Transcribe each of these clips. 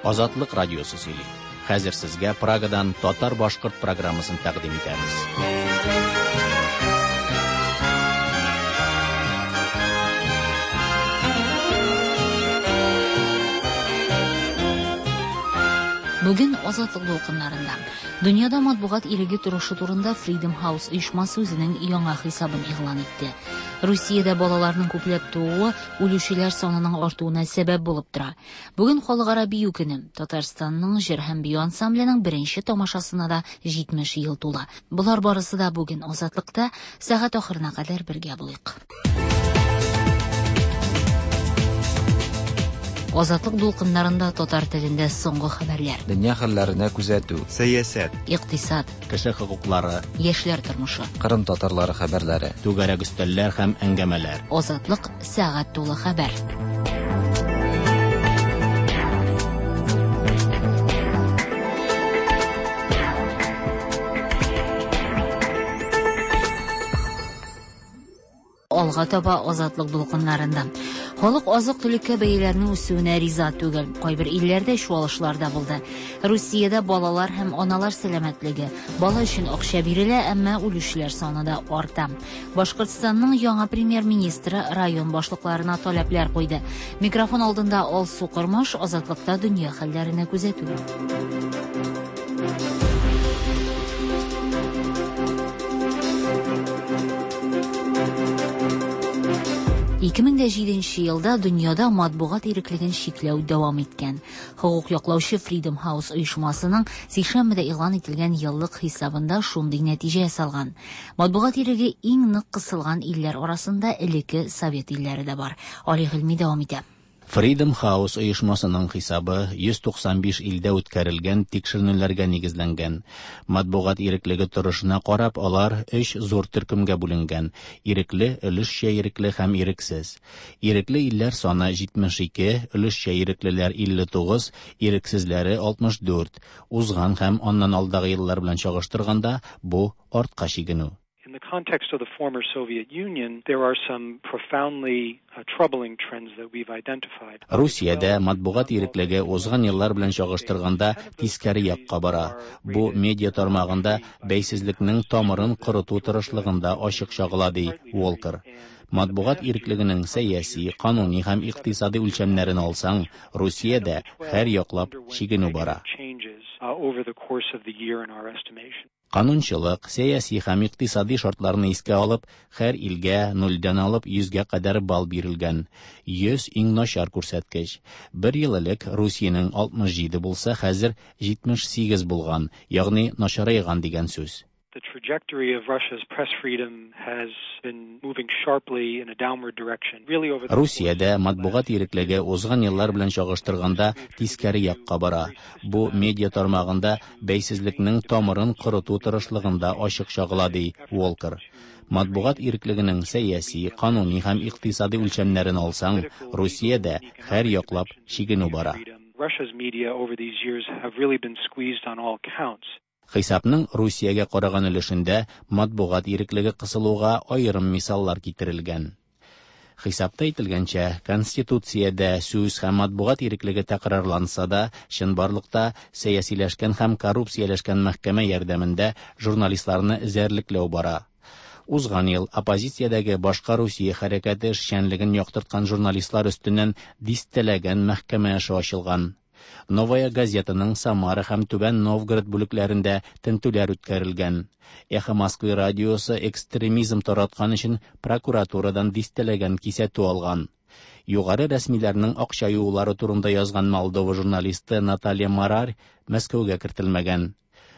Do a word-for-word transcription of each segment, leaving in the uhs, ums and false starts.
Азатлык радиосы сөйли. Хәзер сезгә Прагадан татар-башкорт программасын тәкъдим итәбез. Бүген Азатлык дулкыннарында дөньяда матбугат иреге торышы турында Freedom House оешмасы үзенең яңа хисабын игълан итте. Русиядә балаларның күпләп тууы үлүчеләр санының артуына сәбәп булып тора. Бүген Халыкара бию көне. Татарстанның җыр һәм бию ансамбленең беренче тамашасына да җитмеш ел тула. Болар барысы да бүген Азатлыкта сәгать ахырына кадәр бергә булыйк. Азатлык дулкыннарында татар телендә соңгы хәбәрләр. Дөнья хәлләренә күзәтү. Сәясәт. Икътисад. Кеше хокуклары. Яшьләр тормышы. Кырым татарлары хәбәрләре. Түгәрәк өстәлләр һәм әңгәмәләр. Азатлык сәгать тулы хәбәр. Алга таба Азатлык дулкыннарында. Халык азык-төлеккә бәяләрнең үсүенә риза түгел. Кайбер илләрдә чуалышлар да булды. Русиядә балалар һәм аналар сәламәтлеге. Бала өчен акча бирелә, әмма үлүчеләр саны да арта. Башкортстанның яңа премьер-министры район башлыкларына таләпләр куйды. Микрофон алдында Алсу Кормаш, Азатлыкта дөнья хәлләренә күзәтү. ике мең дә җиденче елда дөньяда матбугат иреклеген чикләү дәвам иткән. Хокук яклаучы Freedom House оешмасының сишәмбедә игълан ителгән еллык хисабында шундый нәтиҗә ясалган. Матбугат иреге иң нык кысылган илләр арасында элекке Совет илләре дә бар. Али Гыйльми дәвам итә. Freedom House оешмасының хисабы йөз туксан биш илдә үткәрелгән тикшеренүләргә нигезләнгән. Матбугат иреклеге торышына карап, алар өч зур төркемгә бүленгән: ирекле, өлешчә ирекле һәм ирексез. Ирекле илләр саны җитмеш ике, өлешчә иреклеләр илле тугыз, ирексезләре алтмыш дүрт. Узган һәм аннан алдагы еллар белән чагыштырганда, бу артка чигенү. In the context of the former Soviet Union, there are some profoundly uh, troubling trends that we've identified. Русиядә матбугат иреклеге узган еллар белән чагыштырганда тискәре якка бара. Бу медиа тармагында бәйсезлекнең тамырын корыту тырышлыгында ачык чагыла, ди Уолкер. Матбугат иреклегенең сәяси, кануни һәм икътисади үлчәмнәрен алсаң, Русиядә һәр яклап чигенү бара. Over the course of the year in our estimation. Канунчылык, сәяси һәм икътисади шартларны искә алып, һәр илгә нульдән алып йөзгә кадәр балл бирелгән. Йөз иң начар күрсәткеч. Бер ел элек Русиянең алтмыш җиде булса, хәзер җитмеш сигез булган, ягъни начарайган дигән сүз. The trajectory of Russia's press freedom has been moving sharply in a downward direction. Really over the Русиядә матбугат иреклеге узган еллар белән чагыштырганда тискәре якка бара. Бу медиа тармагында бәйсезлекнең тамырын корыту тырышлыгында ачык чагыла, ди Уолкер. Матбугат иреклегенең сәяси, кануни һәм икътисади үлчәмнәрен алсаң, Русиядә һәр яклап чигенү бара. Russia's media over these years have really been squeezed on all counts. Хисапның Русиягә караган өлешендә матбугат иреклеге кысылуга аерым мисаллар китерелгән. Хисапта әйтелгәнчә, Конституциядә сүз һәм матбугат иреклеге тәкрарланса да, чынбарлыкта сәясиләшкән һәм коррупцияләшкән мәхкәмә ярдәмендә журналистларны эзәрлекләү бара. Узган ел оппозициядәге башка Русия хәрәкәте эшчәнлеген яктырткан журналистлар өстеннән дистәләгән мәхкәмә эше ачылган. Новая газетаның Самара һәм Түбән Новгород бүлекләрендә тентүләр үткәрелгән. Эхо Москвы радиосы экстремизм тараткан өчен прокуратурадан дистәләгән кисәтү алган. Югары рәсмиләрнең акча юулары турында язган Молдова журналисты Наталья Марарь Мәскәүгә кертелмәгән.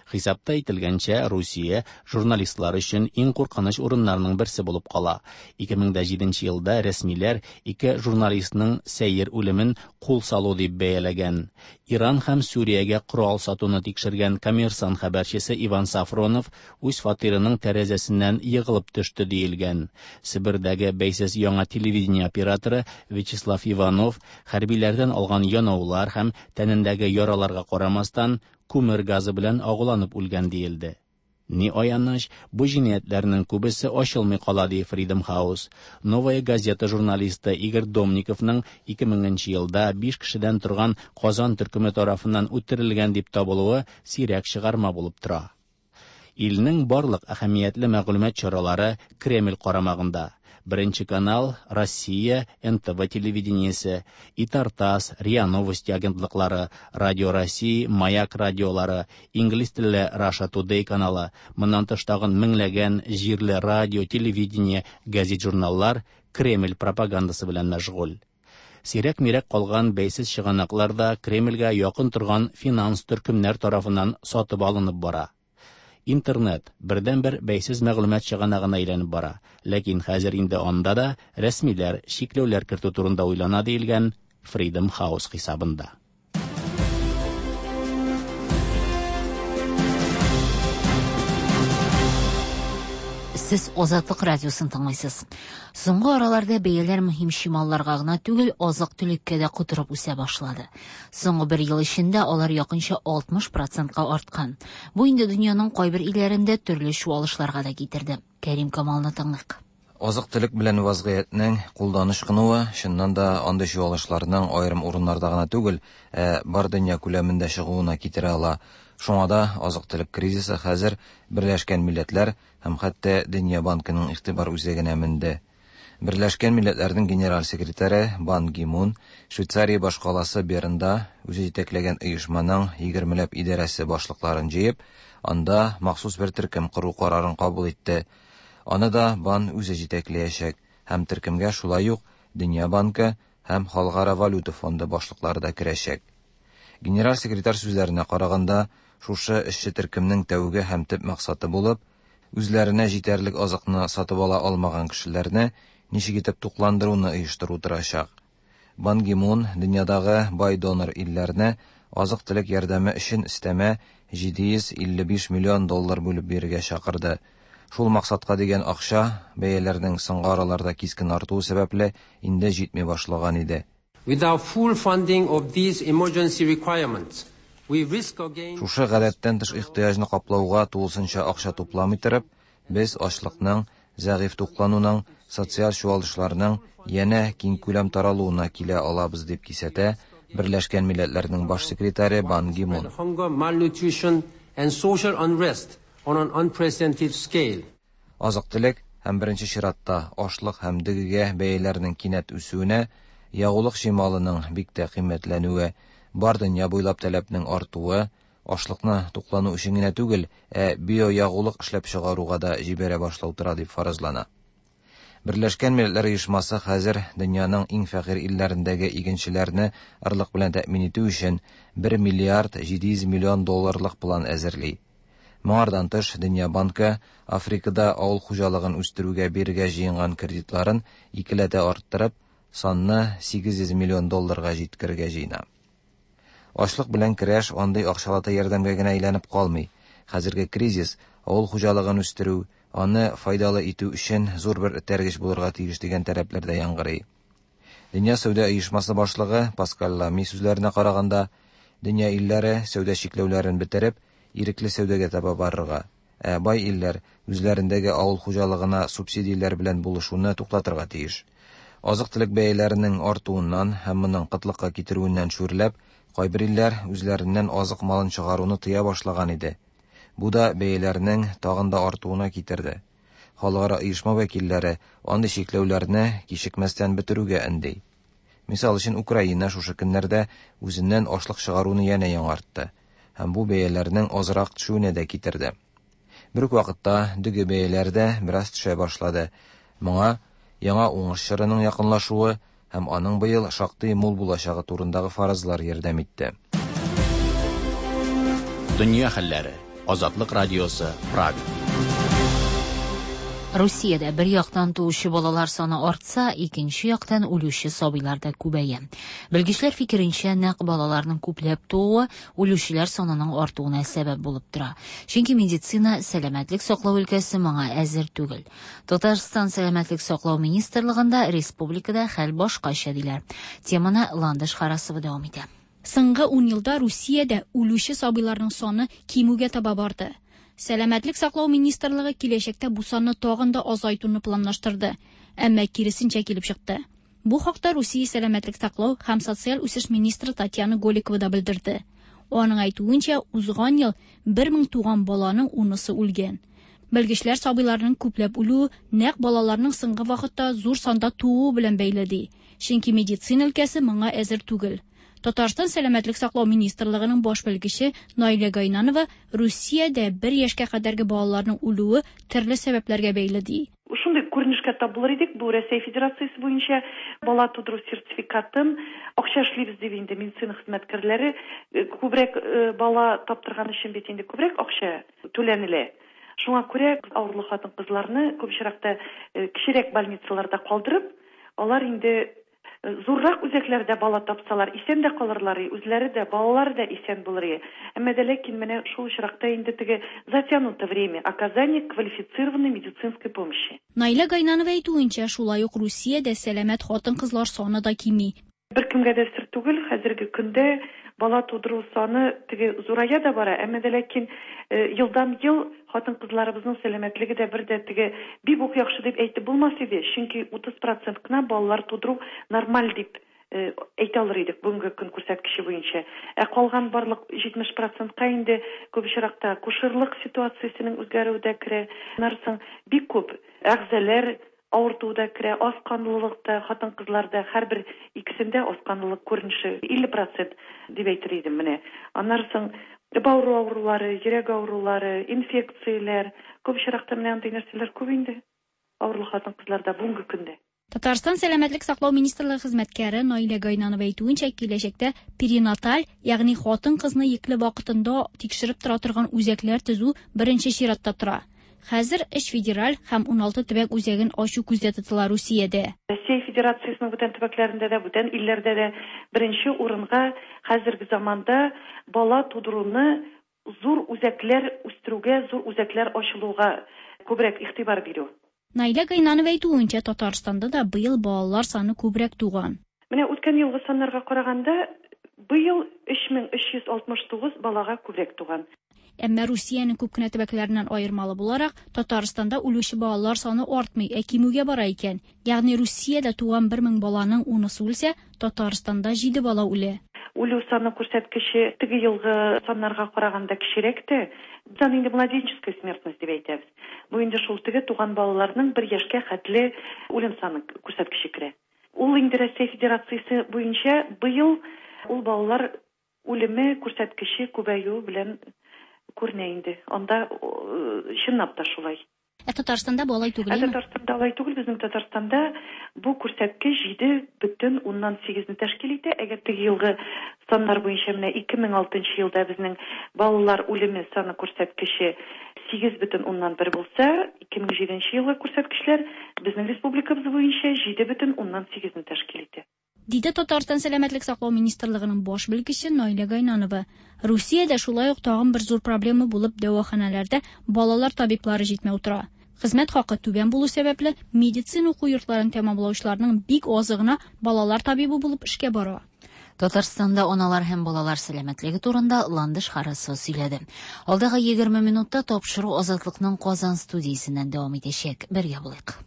Хисапта әйтелгәнчә, Русия журналистлар өчен иң куркыныч урыннарның берсе булып кала. ике мең дә җиденче елда рәсмиләр ике журналистның сәер үлемен кул салу дип бәяләгән. Иран һәм Сүриягә корал сатуны тикшергән Коммерсант хәбәрчесе Иван Сафронов үз фатирының тәрәзәсеннән егылып төште диелгән. Себердәге бәйсез яңа телевидение операторы Вячеслав Иванов хәрбиләрдән алган янаулар һәм тәнендәге яраларга карамастан күмер газы белән агуланып үлгән диелде. Ни аяныч, бу җинаятьләрнең күбесе ачылмый кала, ди Freedom House. Новая газета журналисты Игорь Домниковның ике меңенче елда биш кешедән торган Казан төркеме тарафыннан үтерелгән дип табылуы сирәк чыгарма булып тора. Илнең барлык әһәмиятле мәгълүмат чаралары Кремль карамагында. Беренче канал, Россия, эн тэ вэ телевидениесе, Итартас, РИА Новости агентлыклары, Радио России, Маяк радиолары, инглиз телле Russia Today каналы, моннан тыш тагын меңләгән җирле радио, телевидение, газет-журналлар Кремль пропагандасы белән мәшгуль. Сирәк-мирәк калган бәйсез чыганаклар да Кремльгә якын торган финанс төркемнәр тарафыннан сатып алынып бара. Интернет бердән-бер бәйсез мәгълүмат чыганагына әйләнеп бара. Ләкин хәзер инде анда да рәсмиләр чикләүләр кертү турында уйлана диелгән Freedom House хисабында. Сез Азатлык радиосын тыңлыйсыз. Соңгы араларда бәяләр мөһим чималларга гына түгел, азык-төлеккә дә котырып үсә башлады. Соңгы бер ел эчендә алар якынча алтмыш процентка арткан. Бу инде дөньяның кайбер илләрендә төрле чуалышларга да китерде. Кәрим Камалны тыңлыйк. Азык-төлек белән вазгыятьнең кулдан ычкынуы чыннан да андый чуалышларның аерым урыннарда гына түгел, ә бар дөнья күләмендә чыгуына китерә ала. Шуңа да азык-төлек кризисы хәзер Берләшкән Милләтләр һәм хәтта Дөнья банкының игътибар үзәгенә менде. Берләшкән Милләтләрнең генераль секретаре Бан Ги Мун Швейцария башкаласы Бернда үзе җитәкләгән оешманың егермеләп идарәсе башлыкларын җыеп, анда махсус бер төркем кору карарын кабул итте. Аны да Бан үзе җитәкләячәк һәм төркемгә шулай ук Дөнья банкы һәм Халыкара валюта фонды башлыклары да керәчәк. Генераль секретарь сүзләренә караганда, шушы эшче төркемнең тәүге һәм төп максаты булып, үзләренә җитәрлек азыкны сатып ала алмаган кешеләрне ничек итеп тукландыруны оештыру торачак. Бан Ги Мун дөньядагы бай донор илләрне азык-төлек ярдәме өчен өстәмә җиде йөз илле биш миллион доллар бүлеп бирергә чакырды. Шул максатка дигән акча бәяләрнең соңгы араларда кискен артуы сәбәпле инде җитми башлаган иде. Without full funding of these emergency requirements, we risk again Шушы гадәттән тыш ихтыяҗны каплауга тулысынча акча тупламый торып, без ачлыкның, зәгыйфь туклануның, социаль чуалышларның янә киң күләм таралуына килә алабыз дип кисәтә Берләшкән Милләтләрнең баш секретаре Бан Ги Мун. Hunger, malnutrition and social unrest on an unprecedented scale. Азык-төлек һәм беренче чиратта ашлык һәм дөгегә бәяләрнең кинәт үсүенә, ягулык чималының бик тә кыйммәтләнүе, бар дөнья буйлап таләпнең артуы, ашлыкны туклану өчен генә түгел, ә биоягулык эшләп чыгаруга да җибәрә башлау тора дип фаразлана. Берләшкән Милләтләр Оешмасы хәзер дөньяның иң фәкыйрь илләрендәге игенчеләрне арлык белән тәэмин итү өчен бер миллиард җиде йөз миллион долларлык план әзерли. Моңардан тыш, Дөнья банкы Африкада авыл хуҗалыгын үстерүгә бирергә җыенган кредитларын икеләтә арттырып, санны сигез йөз миллион долларга җиткерергә җыена. Ачлык белән көрәш андый акчалата ярдәмгә генә әйләнеп калмый. Хәзерге кризис авыл хуҗалыгын үстерү, аны файдалы итү өчен зур бер этәргеч булырга тиеш дигән таләпләр дә яңгырый. Дөнья сәүдә оешмасы башлыгы Паскаль Лами сүзләренә караганда, дөнья илләре сәүдә чикләүләрен бетереп, ирекле сәүдәгә таба барырга, ә бай илләр үзләрендәге авыл хуҗалыгына субсидияләр белән булышуны туктатырга тиеш. Азык-төлек бәяләренең артуыннан һәм моның кытлыкка китерүеннән шүрләп, кайбер илләр үзләреннән азык малын чыгаруны тыя башлаган иде. Бу да бәяләрнең тагын да артуына китерде. Халыкара оешма вәкилләре андый чикләүләрне кичекмәстән бетерүгә өнди. Мисал өчен, Украина шушы көннәрдә үзеннән ашлык чыгаруны янә яңартты һәм бу бәяләрнең азрак төшүенә дә китерде. Бер үк вакытта дөге бәяләр дә бераз төшә башлады. Моңа яңа уңыш чорының якынлашуы һәм аның быел шактый мул булачагы турындагы фаразлар ярдәм итте. Дөнья хәлләре. Азатлык радиосы, Прага. Русиядә бер яктан туучы балалар саны артса, икенче яктан үлүче сабыйлар да күбәя. Белгечләр фикеренчә, нәкъ балаларның күпләп тууы үлүчеләр санының артуына сәбәп булып тора. Чөнки медицина, сәламәтлек саклау өлкәсе моңа әзер түгел. Татарстан сәламәтлек саклау министрлыгында республикада хәл башкача диләр. Теманы Ландыш Харасова дәвам итә. Соңгы ун елда Русиядә үлүче сабыйларның саны кимүгә таба барды. Сәламәтлек саклау министрлыгы киләчәктә бу санны тагын да азайтуны планлаштырды. Әмма киресенчә килеп чыкты. Бу хакта Русия сәламәтлек саклау һәм социаль үсеш министры Татьяна Голикова да белдерде. Аның әйтүенчә, узган ел бер мең туган баланың унысы үлгән. Белгечләр сабыйларның күпләп үлүе нәкъ балаларның соңгы вакытта зур санда тууы белән бәйле ди. Чөнки медицина өлкәсе моңа әзер түгел. Татарстан сәламәтлек саклау министрлыгының баш белгече Наилә Гайнанова Русиядә бер яшькә кадәрге балаларның үлүе төрле сәбәпләргә бәйле ди. Шундый күренешкә тап булыр идек, бу Рәсәй Федерациясе буенча бала тудыру сертификатын акча эшлибез дип инде медицина хезмәткәрләре күбрәк бала таптырган өчен бит инде күбрәк акча түләнелә. Шуңа күрә авырлы хатын-кызларны күп очракта кечерәк больницаларда калдырып, алар инде зуррак үзәкләрдә бала тапсалар, исән дә калырлар, үзләре дә, балалары да исән булыр. Әмма дә ләкин менә шул очракта инде теге затянуто время оказания квалифицированной медицинской помощи. Наилә Гайнанова әйтүенчә, шулай ук Русиядә сәламәт хатын-кызлар саны да кими. Беркемгә дә сер түгел, хәзерге көндә бала тудыру саны теге зурая да бара, әмма дә ләкин елдан ел хатын-кызларыбызның сәламәтлеге дә бер дә теге бик үк яхшы дип әйтеп булмас иде, чөнки утыз процент кына балалар тудыру нормаль дип әйтә алыр идек бүгенге көн күрсәткече буенча. Ә калган барлык җитмеш процентка инде күп очракта акушерлык ситуациясенең үзгәрүе дә керә. Аннан соң бик күп әгъзалар авыртуы да керә, аз канлылык та, хатын-кызларда һәрбер икесендә аз канлылык күренеше илле процент дип әйтер идем менә. Аннан соң бавыр авырулары, йөрәк авырулары, инфекцияләр, күп очракта менә андый нәрсәләр күп инде авырлы хатын-кызларда бүгенге көндә. Татарстан сәламәтлек саклау министрлыгы хезмәткәре Наилә Гайнанова әйтүенчә, киләчәктә перинаталь, ягъни хатын-кызны йөкле вакытында тикшереп тора торган үзәкләр төзү беренче чиратта тора. Хәзер өч федераль һәм уналты төбәк үзәген ачу күздә тотыла Русиядә. Россия Федерациясенең бүтән төбәкләрендә дә, бүтән илләрдә дә беренче урынга хәзерге заманда бала тудыруны зур үзәкләр үстерүгә, зур үзәкләр ачылуга күбрәк игътибар бирү. Наилә Гайнанова әйтүенчә, Татарстанда да быел балалар саны күбрәк туган. Менә үткән елгы саннарга караганда быел өч мең өч йөз алтмыш тугыз балага күбрәк туган. Әмма Русиянең күп кенә төбәкләреннән аермалы буларак, Татарстанда үлүче балалар саны артмый, ә кимүгә бара икән. Ягъни Русиядә туган бер мең баланың унысы үлсә, Татарстанда җиде бала үлә. Үлү саны күрсәткече теге елгы саннарга караганда кечерәк тә. Без аны инде младенческая смертность дип әйтәбез. Бу инде шул теге туган балаларның бер яшькә хәтле үлем саны күрсәткече керә. Ул инде Россия Федерациясе буенча быел ул балалар үлеме күрсәткече күбәюе белән күренә инде. Анда чынлап та шулай. Ә Татарстанда бу алай түгел, Ә Татарстанда алай түгел. Безнең Татарстанда бу күрсәткеч җиде бөтен уннан сигезне тәшкил итә. Әгәр теге елгы саннар буенча менә ике мең алтынчы елда безнең балалар үлеме саны күрсәткече сигез бөтен уннан бер булса, ике мең җиденче елгы күрсәткечләр безнең республикабыз буенча җиде бөтен уннан сигезне тәшкил итә. Диде Татарстан сәламәтлек саклау министрлыгының баш белгече Наилә Гайнанова. Русиядә шулай ук тагын бер зур проблема булып дәваханәләрдә балалар табиблары җитмәү тора. Хезмәт хакы түбән булу сәбәпле медицина уку йортларын тәмамлаучыларның бик азы гына балалар табибы булып эшкә бара. Татарстанда аналар һәм балалар сәламәтлеге турында Ландыш Харасова сөйләде. Алдагы егерме минутта тапшыру Азатлыкның Казан студиясеннән дәвам итәчәк. Бергә булыйк.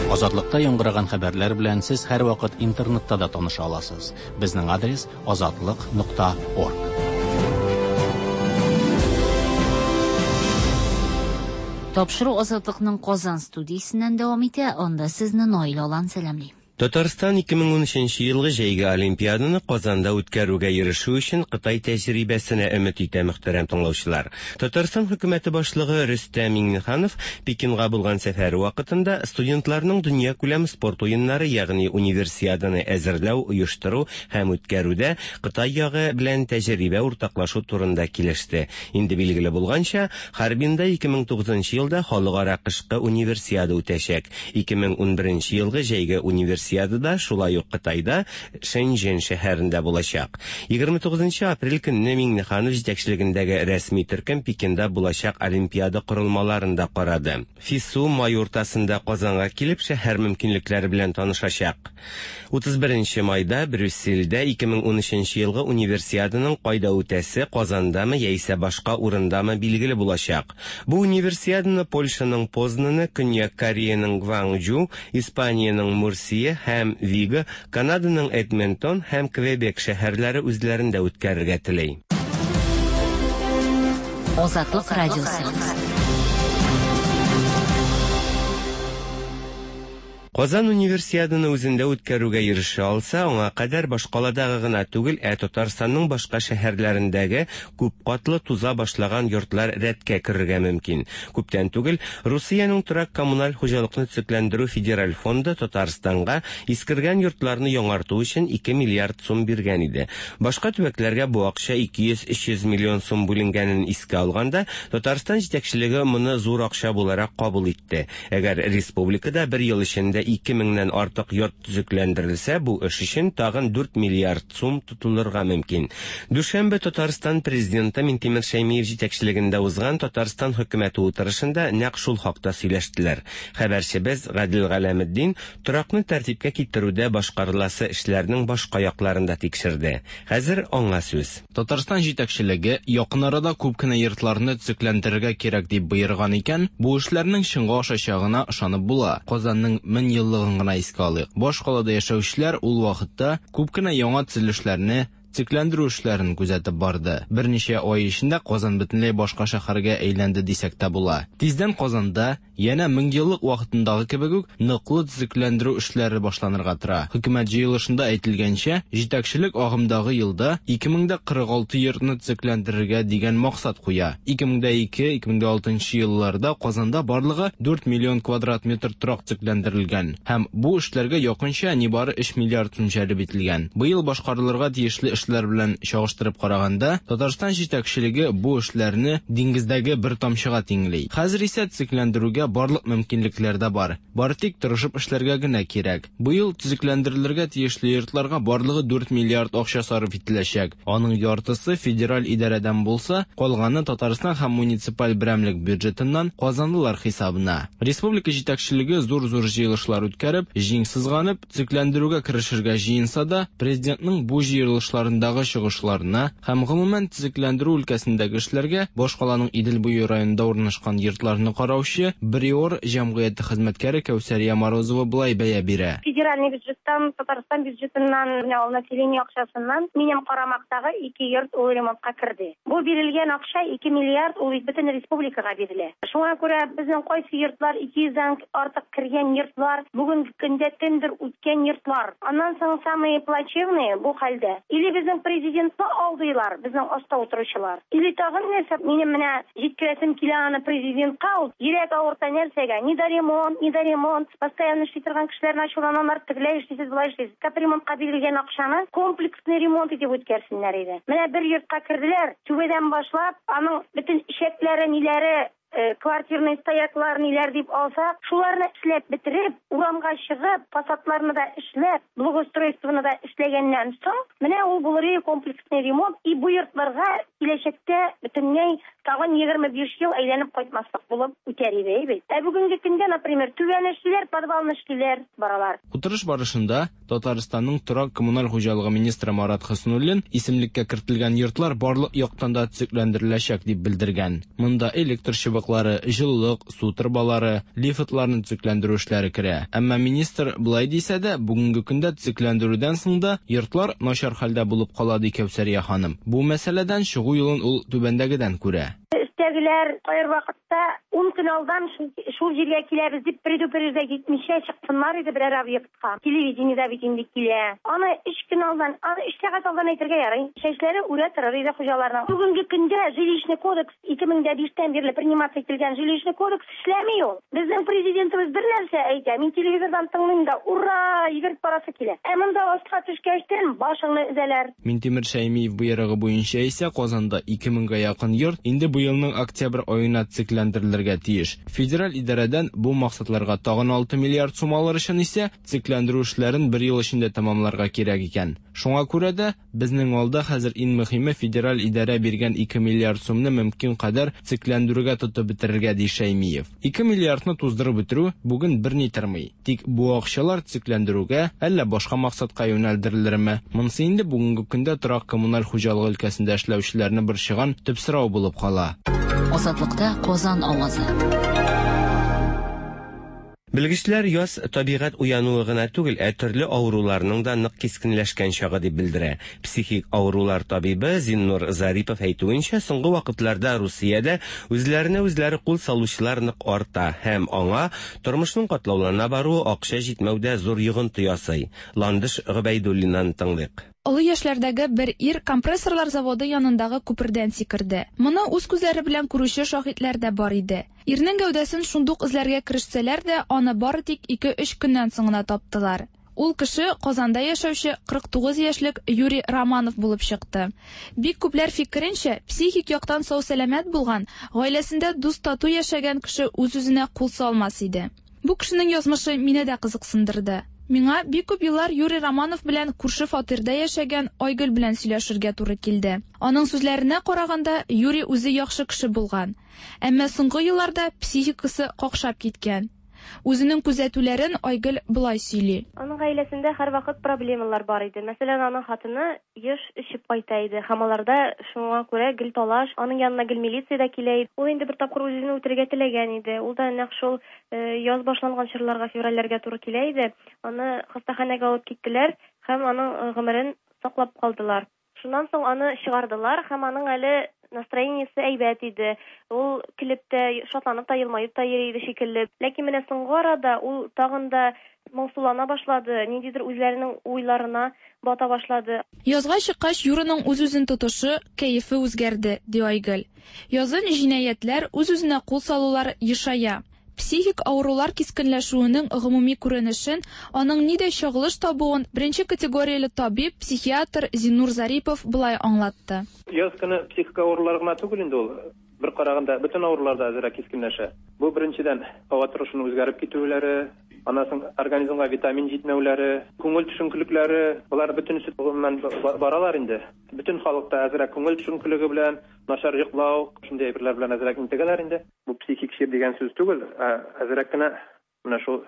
Азатлыкта яңгыраган хәбәрләр белән сез һәрвакыт интернетта да таныша аласыз. Безнең адрес азатлык нокта орг. Тапшыру Азатлыкның Казан студиясеннән дәвам итә. Анда сезне Наил Алан сәламли. Татарстан ике мең унөченче елгы җәйге Олимпиаданы Казанда үткәрүгә ирешү өчен Кытай тәҗрибәсенә өмет итә, мөхтәрәм тыңлаучылар. Татарстан хөкүмәте башлыгы Рөстәм Миңнеханов Пекинга булган сәфәре вакытында студентларның дөньякүләм спорт уеннары, ягъни универсиаданы әзерләү, оештыру һәм үткәрүдә Кытай ягы белән тәҗрибә уртаклашу турында килеште. Инде билгеле булганча, Харбинда ике мең тугызынчы елда халыкара кышкы универсиада үтәчәк. Ике мең унберенче елгы җәйге универсиада Универсиада да шулай ук Кытайда, Шэньчжэнь шәһәрендә булачак. Егерме тугызынчы апрель көнне Миңнеханов җитәкчелегендәге рәсми төркем Пекинда булачак Олимпиада корылмаларын да карады. ФИСУ май уртасында Казанга килеп шәһәр мөмкинлекләре белән танышачак. Утыз беренче майда Брюссельдә ике мең унөченче елгы Универсиаданың кайда үтәсе, Казандамы яисә башка урындамы билгеле булачак. Бу универсиаданы Польшаның Познаны, Көньяк Кореяның Гванчжу, Испаниянең Мурсия һәм Виго, Канаданың Эдмонтон һәм Квебек шәһәрләре үзләрендә үткәрергә тели. Азатлык радиосы. Казан универсиаданы үзендә үткәрүгә ирешә алса, аңа кадәр башкаладагы гына түгел, ә Татарстанның башка шәһәрләрендәге күп катлы туза башлаган йортлар рәткә керергә мөмкин. Күптән түгел Русиянең торак коммуналь хуҗалыкны төзекләндерү федераль фонды Татарстанга искергән йортларны яңарту өчен ике миллиард сум биргән иде. Башка төбәкләргә бу акча ике йөз өч йөз миллион сум бүленгәнен искә алганда, Татарстан җитәкчелеге моны зур акча буларак кабул итте. Әгәр республикада бер ел эчендә ике меңнән артык йорт төзекләндерелсә, бу эш өчен тагын дүрт миллиард сум тотылырга мөмкин. Дүшәмбе Татарстан президенты Минтимер Шәймиев җитәкчелегендә узган Татарстан хөкүмәте утырышында нәкъ шул хакта сөйләштеләр. Хәбәрчебез Гадел Галәметдин торакны тәртипкә китерүдә башкарыласы эшләрнең башка якларын да тикшерде. Хәзер аңа сүз. Татарстан җитәкчелеге якын арада күп кенә йортларны төзекләндерергә кирәк дип боерган икән, бу эшләрнең чынга ашачагына ышанып була. Казанның мең еллыгын гына искә алыйк. Башкалада яшәүчеләр ул вакытта күп кенә яңа төзелешләрне, төзекләндерү эшләрен күзәтеп барды. Берничә ай эчендә Казан бөтенләй башка шәһәргә әйләнде дисәк тә була. Тиздән Казанда янә мең еллык вакытындагы кебек үк ныклы төзекләндерү эшләре башланырга тора. Хөкүмәт җыелышында әйтелгәнчә, җитәкчелек агымдагы елда ике мең дә кырык алты йортны төзекләндерергә дигән максат куя. Ике мең дә ике, ике мең дә алтынчы елларда Казанда барлыгы дүрт миллион квадрат метр торак төзекләндерелгән һәм бу эшләргә якынча нибары өч миллиард сум җәлеп ителгән. Быел башкарылырга тиешле эшләр белән чагыштырып караганда, Татарстан җитәкчелеге бу эшләрне диңгездәге бер тамчыга тиңли. Хәзер исә төзекләндерүгә барлык мөмкинлекләр дә бар. Бары тик тырышып эшләргә генә кирәк. Быел төзекләндерелергә тиешле йортларга барлыгы дүрт миллиард акча сарыф ителәчәк. Аның яртысы федераль идарәдән булса, калганы Татарстан һәм муниципаль берәмлек бюджетыннан казанлылар хисабына. Республика җитәкчелеге зур-зур җыелышлар үткәреп, җиң сызганып, төзекләндерүгә керешергә җыенса да, президентның бу җыелышларындагы чыгышларына һәм гомумән төзекләндерү өлкәсендәге эшләргә башкаланың Идел буе районында урнашкан йортларны караучы Бриор җәмгыяте хезмәткәре Кәүсәрия Морозова былай бәя бирә. Федеральный бюджеттан, Татарстан бюджетыннан, менә ул население акчасыннан минем карамактагы ике йорт ул ремонтка керде. Бу бирелгән акча ике миллиард ул бөтен республикага бирелә. Шуңа күрә безнең кайсы йортлар ике йөздән артык кергән йортлар, бүгенге көндә тендер үткән йортлар. Аннан соң самые плачевные бу хәлдә. Или безнең президентны алдыйлар, безнең аста утыручылар. Или тагын нәрсә, минем менә җиткерәсем килә аны президентка, ул йөрәк авырта нәрсәгә? Ни да ремонт, ни да ремонт. Постоянно эшли торган кешеләрне ачуланалар, тегеләй эшлисез, болай эшлисез. Капремонтка бирелгән акчаны комплексный ремонт итеп үткәрсеннәр иде. Менә бер йортка керделәр, түбәдән башлап, аның бөтен ишәкләре, ниләре, квартирный стояклар ниләр дип алсак, шуларны эшләп бетереп, урамга чыгып, фасадларны да эшләп, благоустройствоны да эшләгәннән соң, менә ул булыр комплексный ремонт, и бу йортларга киләчәктә бөтенләй тагын егерме биш ел әйләнеп кайтмаслык булып үтәр иде бит. Ә бүгенге көндә, например, түбәне эшлиләр, подвалны эшлиләр, баралар. Утырыш барышында Татарстанның торак коммуналь хуҗалыгы министры Марат Хөснуллин исемлеккә кертелгән йортлар барлык яктан да төзекләндереләчәк дип белдергән. Монда электр чыбыклары, җылылык, су торбалары, лифтларны төзекләндерү эшләре керә. Әмма министр былай дисә дә, бүгенге көндә төзекләндерүдән соң да йортлар начар хәлдә булып кала, ди Кәүсәрия ханым. Бу мәсьәләдән чыгу юлын ул түбәндәгедән күрә. Өстәгеләр кайыр вакытта ун көн алдан шул җиргә киләбез дип предупреждать итмичә чыксыннар иде берәр объектка. Телевидениедә бит инде килә. Аны өч көн алдан, аны өч сәгать алдан әйтергә ярый. Чәчләре үрә торыр иде хуҗаларның. Бүгенге көндә жилищный кодекс ике мең дә биштән бирле приниматься ителгән жилищный кодекс эшләми ул. Безнең президентыбыз бер нәрсә әйтә. Мин телевизордан тыңлыйм да, ура, йөгереп барасы килә. Ә монда астка төшкәчтен башыңны өзәләр. Минтимер Шәймиев боерыгы буенча исә Казанда ике меңгә якын йорт инде быелның елның октябрь аена төзекләндерелергә тиеш. Федераль идарәдән бу максатларга тагын алты миллиард сум алыр өчен исә төзекләндерү эшләрен бер ел эчендә тәмамларга кирәк икән. Шуңа күрә дә безнең алда хәзер иң мөһиме федераль идарә биргән ике миллиард сумны мөмкин кадәр төзекләндерүгә тотып бетерергә, ди Шәймиев. Ике миллиардны туздырып бетерү бүген берни тормый. Тик бу акчалар төзекләндерүгә әллә башка максатка юнәлдерелерме? Монысы инде бүгенге көндә торак коммуналь хуҗалыгы өлкәсендә эшләүчеләрне борчыган төп сорау булып кала. Азатлыкта Казан авазы. Белгечләр яз табигать уянуы гына түгел, ә төрле авыруларның да нык кискенләшкән чагы дип белдерә. Психик авырулар табибы Зиннур Зарипов әйтүенчә, соңгы вакытларда Русиядә үзләренә үзләре кул салучылар нык арта һәм аңа тормышның катлаулана баруы, акча җитмәүдә зур йогынты ясый. Ландыш Гобәйдуллинаны тыңлыйк. Олы яшьләрдәге бер ир компрессорлар заводы янындагы күпердән сикерде. Моны үз күзләре белән күрүче шаһитләр дә бар иде. Ирнең гәүдәсен шундук эзләргә керешсәләр дә, аны бары тик ике-өч көннән соң гына таптылар. Ул кеше Казанда яшәүче кырык тугыз яшьлек Юрий Романов булып чыкты. Бик күпләр фикеренчә, психик яктан сау-сәламәт булган, гаиләсендә дус-тату яшәгән кеше үз-үзенә кул салмас иде. Бу кешенең язмышы мине дә кызыксындырды. Миңа бик күп еллар Юрий Романов белән күрше фатирда яшәгән Айгөл белән сөйләшергә туры килде. Аның сүзләренә караганда, Юрий үзе яхшы кеше булган. Әмма соңгы елларда психикасы какшап киткән. Үзенең күзәтүләрен Айгөл болай сөйли. Аның гаиләсендә һәрвакыт проблемалар бар иде. Мәсәлән, аның хатыны еш эчеп кайта иде һәм аларда шуңа күрә гел талаш, аның янына гел милиция дә килә иде. Ул инде бер тапкыр үзен үтерергә теләгән иде. Ул да нәкъ шул яз башланган чорларга, февральләргә туры килә иде. Аны хастаханәгә алып киттеләр һәм аның гомерен саклап калдылар. Шуннан соң аны чыгардылар һәм аның әле настроениесе әйбәт иде. Ул килеп тә, шатланып та, елмаеп та йөри иде шикелле. Ләкин менә соңгы арада ул тагын да моңсулана башлады, ниндидер үзләренең уйларына бата башлады. Язга чыккач, Юраның үз-үзен тотышы, кәефе үзгәрде, ди Айгөл. Язын җинаятьләр, үз-үзенә кул салулар ешая. Психик авырулар кискенләшүенең гомуми күренешен, аның нидә чагылыш табуын беренче категорияле табиб, психиатр Зиннур Зарипов болай аңлатты. Яз көне психик авырулар гына түгел инде ул. Бер караганда бөтен авырулар да әзрәк кискенләшә. Бу беренчедән һава торышының үзгәреп китүләре, аннан соң организмга витамин җитмәүләре, күңел төшенкелекләре, болар бөтенесе гомумән баралар инде. Бөтен халыкта әзрәк күңел төшенкелеге белән, начар йоклау, шундый әйберләр белән әзрәк интегәләр инде. Бу психик чир дигән сүз түгел, ә әзрәк кенә менә шул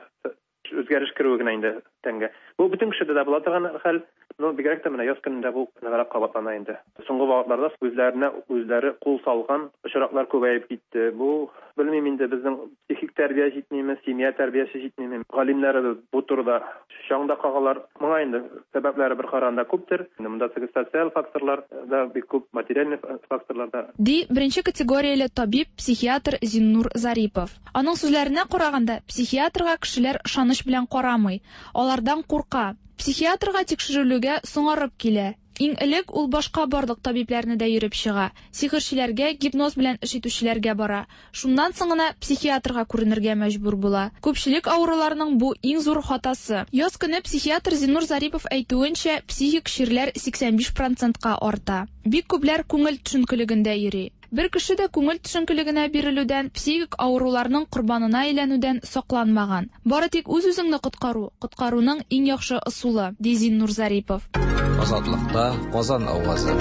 үзгәреш керүе генә инде тәнгә. Бу бөтен кешедә дә була торган хәл, но бигрәк тә менә яз көнендә бу ныграк кабатлана инде. Соңгы вакытларда үзләренә үзләре кул салган очраклар күбәеп китте. Бу белмим инде, безнең психик тәрбия җитмиме, семья тәрбиясе җитмиме? Галимнәребез бу турыда чаң да кагалар. Моңа инде сәбәпләре бер караганда күптер. Монда социаль факторлар да бик күп, материаль факторлар да. Ди беренче категорияле табиб, психиатр Зиннур Зарипов. Аның сүзләренә караганда, психиатрга кешеләр ышаныч белән карамый, алардан курка. Психиатрга тикшерелүгә соңарып килә. Иң элек ул башка барлык табибләрне дә йөреп чыга. Сихерчеләргә, гипноз белән эш итүчеләргә бара. Шуннан соң гына психиатрга күренергә мәҗбүр була. Күпчелек авыруларның бу иң зур хатасы. Яз көне психиатр Зиннур Зарипов әйтүенчә, психик чирләр сиксән биш процентка арта. Бик күпләр күңел төшенкелегендә йөри. Бер кеше дә күңел төшенкелегенә бирелүдән, психик авыруларның корбанына әйләнүдән сакланмаган. Бары тик үз-үзеңне коткару, коткаруның иң яхшы ысулы, ди Зиннур Зарипов. Азатлыкта Казан авазы.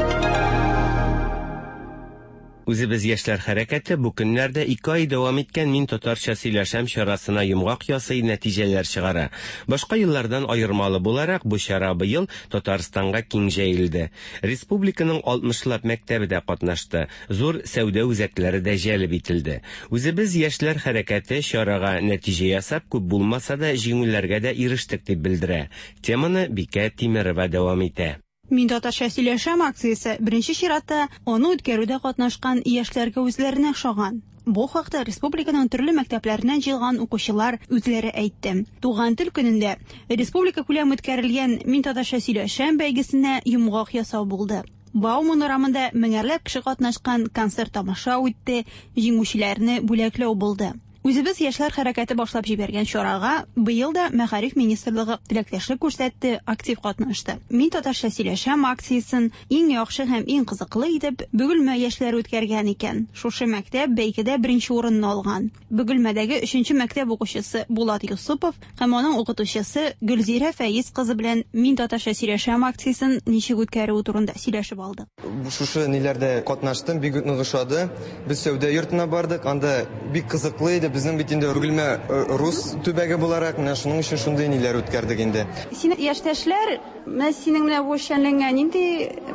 Үзебез яшьләр хәрәкәте бу көннәрдә ике ай дәвам иткән Мин татарча сөйләшәм чарасына йомгак ясый, нәтиҗәләр чыгара. Башка еллардан аермалы буларак бу чара быел Татарстанга киң җәелде. Республиканың алтмышлап мәктәбе дә катнашты, зур сәүдә үзәкләре дә җәлеп ителде. Үзебез яшьләр хәрәкәте чарага нәтиҗә ясап, күп булмаса да җиңүләргә дә ирештек дип белдерә. Теманы Бикә Тимерова дәвам итә. Мин татарча сөйләшәм акциясе беренче чиратта аны үткәрүдә катнашкан яшьләргә үзләренә ошаган. Бу хакта республиканың төрле мәктәпләреннән җыелган укучылар үзләре әйтте. Туган тел көнендә республика күләм үткәрелгән Мин татарча сөйләшәм бәйгесенә йомгак ясау булды. Бауман урамында меңәрләп кеше катнашкан концерт тамаша үтте, җиңүчеләрне бүләкләү булды. Үзебез яшьләр хәрәкәте башлап җибәргән чарага быел да Мәгариф министрлыгы теләктәшлек күрсәтте, актив катнашты. Мин татарча сөйләшәм акциясен иң яхшы һәм иң кызыклы итеп Бөгелмә яшьләре үткәргән икән. Шушы мәктәп бәйгедә беренче урынны алган. Бөгелмәдәге өченче мәктәп укучысы Булат Юсупов һәм аның укытучысы Гөлзирә Фәиз кызы белән Мин татарча сөйләшәм акциясен ничек үткәрүе турында сөйләшеп алдык. Шушы ниләрдә катнаштым, бик нык ошады. Без сәүдә йортына бардык, анда бик кызыклы иде. Безнең бит инде Бөгелмә рус төбәге буларак, менә шуның өчен шундый ниләр үткәрдек инде. Синең яшьтәшләр менә синең менә бу эшчәнлегеңә нинди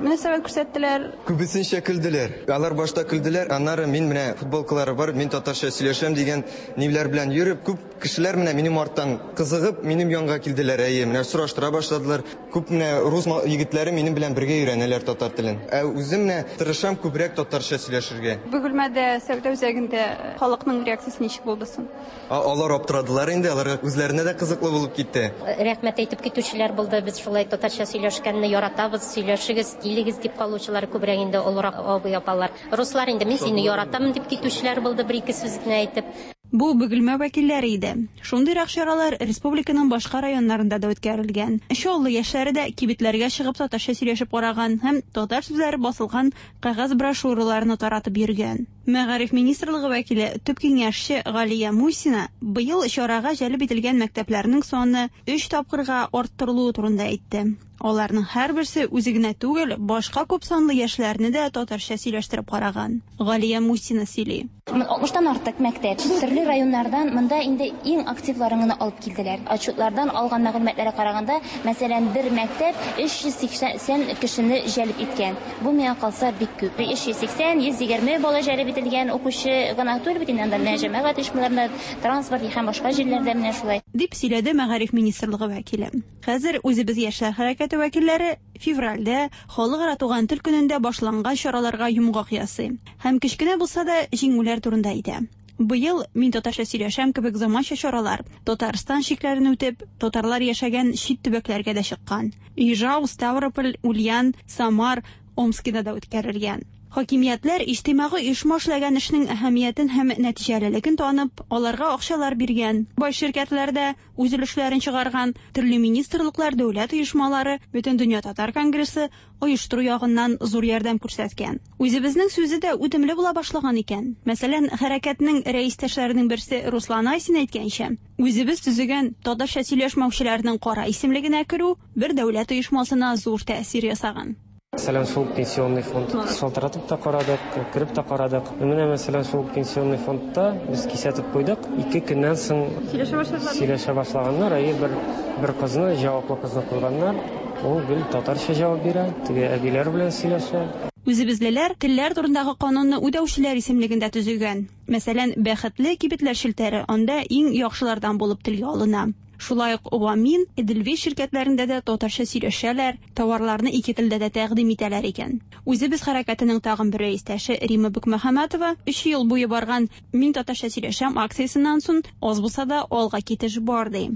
мөнәсәбәт күрсәттеләр? Күбесенчә көлделәр. Алар башта көлделәр, аннары мин менә футболкалары бар, мин татарча сөйләшәм дигән ниләр белән йөреп, күп кешеләр менә минем арттан кызыгып, минем янга килделәр. Әйе, менә сораштыра башладылар. Күп менә рус егетләре минем белән бергә өйрәнәләр татар телен. Ә үзем менә тырышам күбрәк татарча сөйләшергә. Бөгелмәдә сәүдә үзәгендә халыкның реакциясе ничек булды соң? Алар аптырадылар инде, аларга үзләренә дә кызыклы булып китте. Рәхмәт әйтеп китүчеләр булды. Без шулай татарча сөйләшкәнне яратабыз, сөйләшегез, килегез дип калучылар күбрәк инде олырак абый апалар. Руслар инде мин сине яратам дип китүчеләр булды, бер ике сүз генә әйтеп. Бу Бөгелмә вәкилләре иде. Шундыйрак чаралар республиканың башка районнарында да үткәрелгән. Чаллы яшьләре дә кибетләргә чыгып татарча сөйләшеп караган һәм татар сүзләре басылган кәгазь брошюраларны таратып йөргән. Мәгариф министрлыгы вәкиле төп киңәшче Галия Мусина быел чарага җәлеп ителгән мәктәпләрнең саны өч тапкырга арттырылуы турында әйтте. Аларның һәрберсе үзе генә түгел, башка күп санлы яшьләрне дә татарча сөйләштереп караган. Галия Мусина сөйли. алтмыштан артык мәктәп төрле районнардан монда инде иң активларын гына алып килделәр. Отчетлардан алган мәгълүматларга караганда, мәсәлән, бер мәктәп өч йөз сиксән кешене җәлеп иткән. Бу миңа калса бик күп. өч йөз сиксән, йөз егерме бала җәлеп ителгән укучы гына түгел бит инде, анда менә җәмәгать оешмаларында, транспорт һәм башка җирләрдә менә шулай. Дип сөйләде Мәгариф министрлыгы вәкиле. Хәзер үзебез яшьләр хәрәкәте вәкилләре февральдә Халыкара туган тел көнендә башланган чараларга йомгак ясый һәм кечкенә булса да җиңүләр турында әйтә. Быел Мин татарча сөйләшәм кебек заманча чаралар Татарстан чикләрен үтеп, татарлар яшәгән чит төбәкләргә дә чыккан. Ижау, Ставрополь, Ульян, Самар, Омскида да үткәрелгән. Хакимиятләр иҗтимагый оешма эшләгән эшнең әһәмиятен һәм нәтиҗәлелеген танып, аларга акчалар биргән. Бай ширкәтләр дә үз өлешләрен чыгарган, төрле министрлыклар, дәүләт оешмалары, Бөтендөнья татар конгрессы оештыру ягыннан зур ярдәм күрсәткән. Үзебезнең сүзе дә үтемле була башлаган икән. Мәсәлән, хәрәкәтнең рәистәшләренең берсе Руслан Айсин әйткәнчә, үзебез төзегән татарча сөйләшмәүчеләрнең кара исемлегенә керү бер дәүләт оешмасына зур тәэсир ясаган. Мәсәлән, шул пенсионный фонд шалтыратып та карадык, кереп тә карадык. Менә мәсәлән, шул пенсионный фондта без кисәтеп куйдык. Ике көннән соң сөйләшә башлаганнар. Әйе, бер бер кызны, җаваплы кызны куйганнар. Ул гел татарча җавап бирә, теге әбиләр белән сөйләшә. Үзебезлеләр телләр турындагы канунны үтәүчеләр исемлегендә төзегән. Мәсәлән, Бәхетле кибетләр челтәре анда иң яхшылардан булып телгә алына. Шулай ук Вамин, Эдельвейс ширкәтләрендә дә татарча сөйләшәләр, товарларны ике телдә дә тәкъдим итәләр икән. Үзебез хәрәкәтенең тагын бер рәистәше Рима Бекмөхәммәтова өч ел буе барган Мин татарча сөйләшәм акциясеннән соң аз булса да алга китеш бар ди.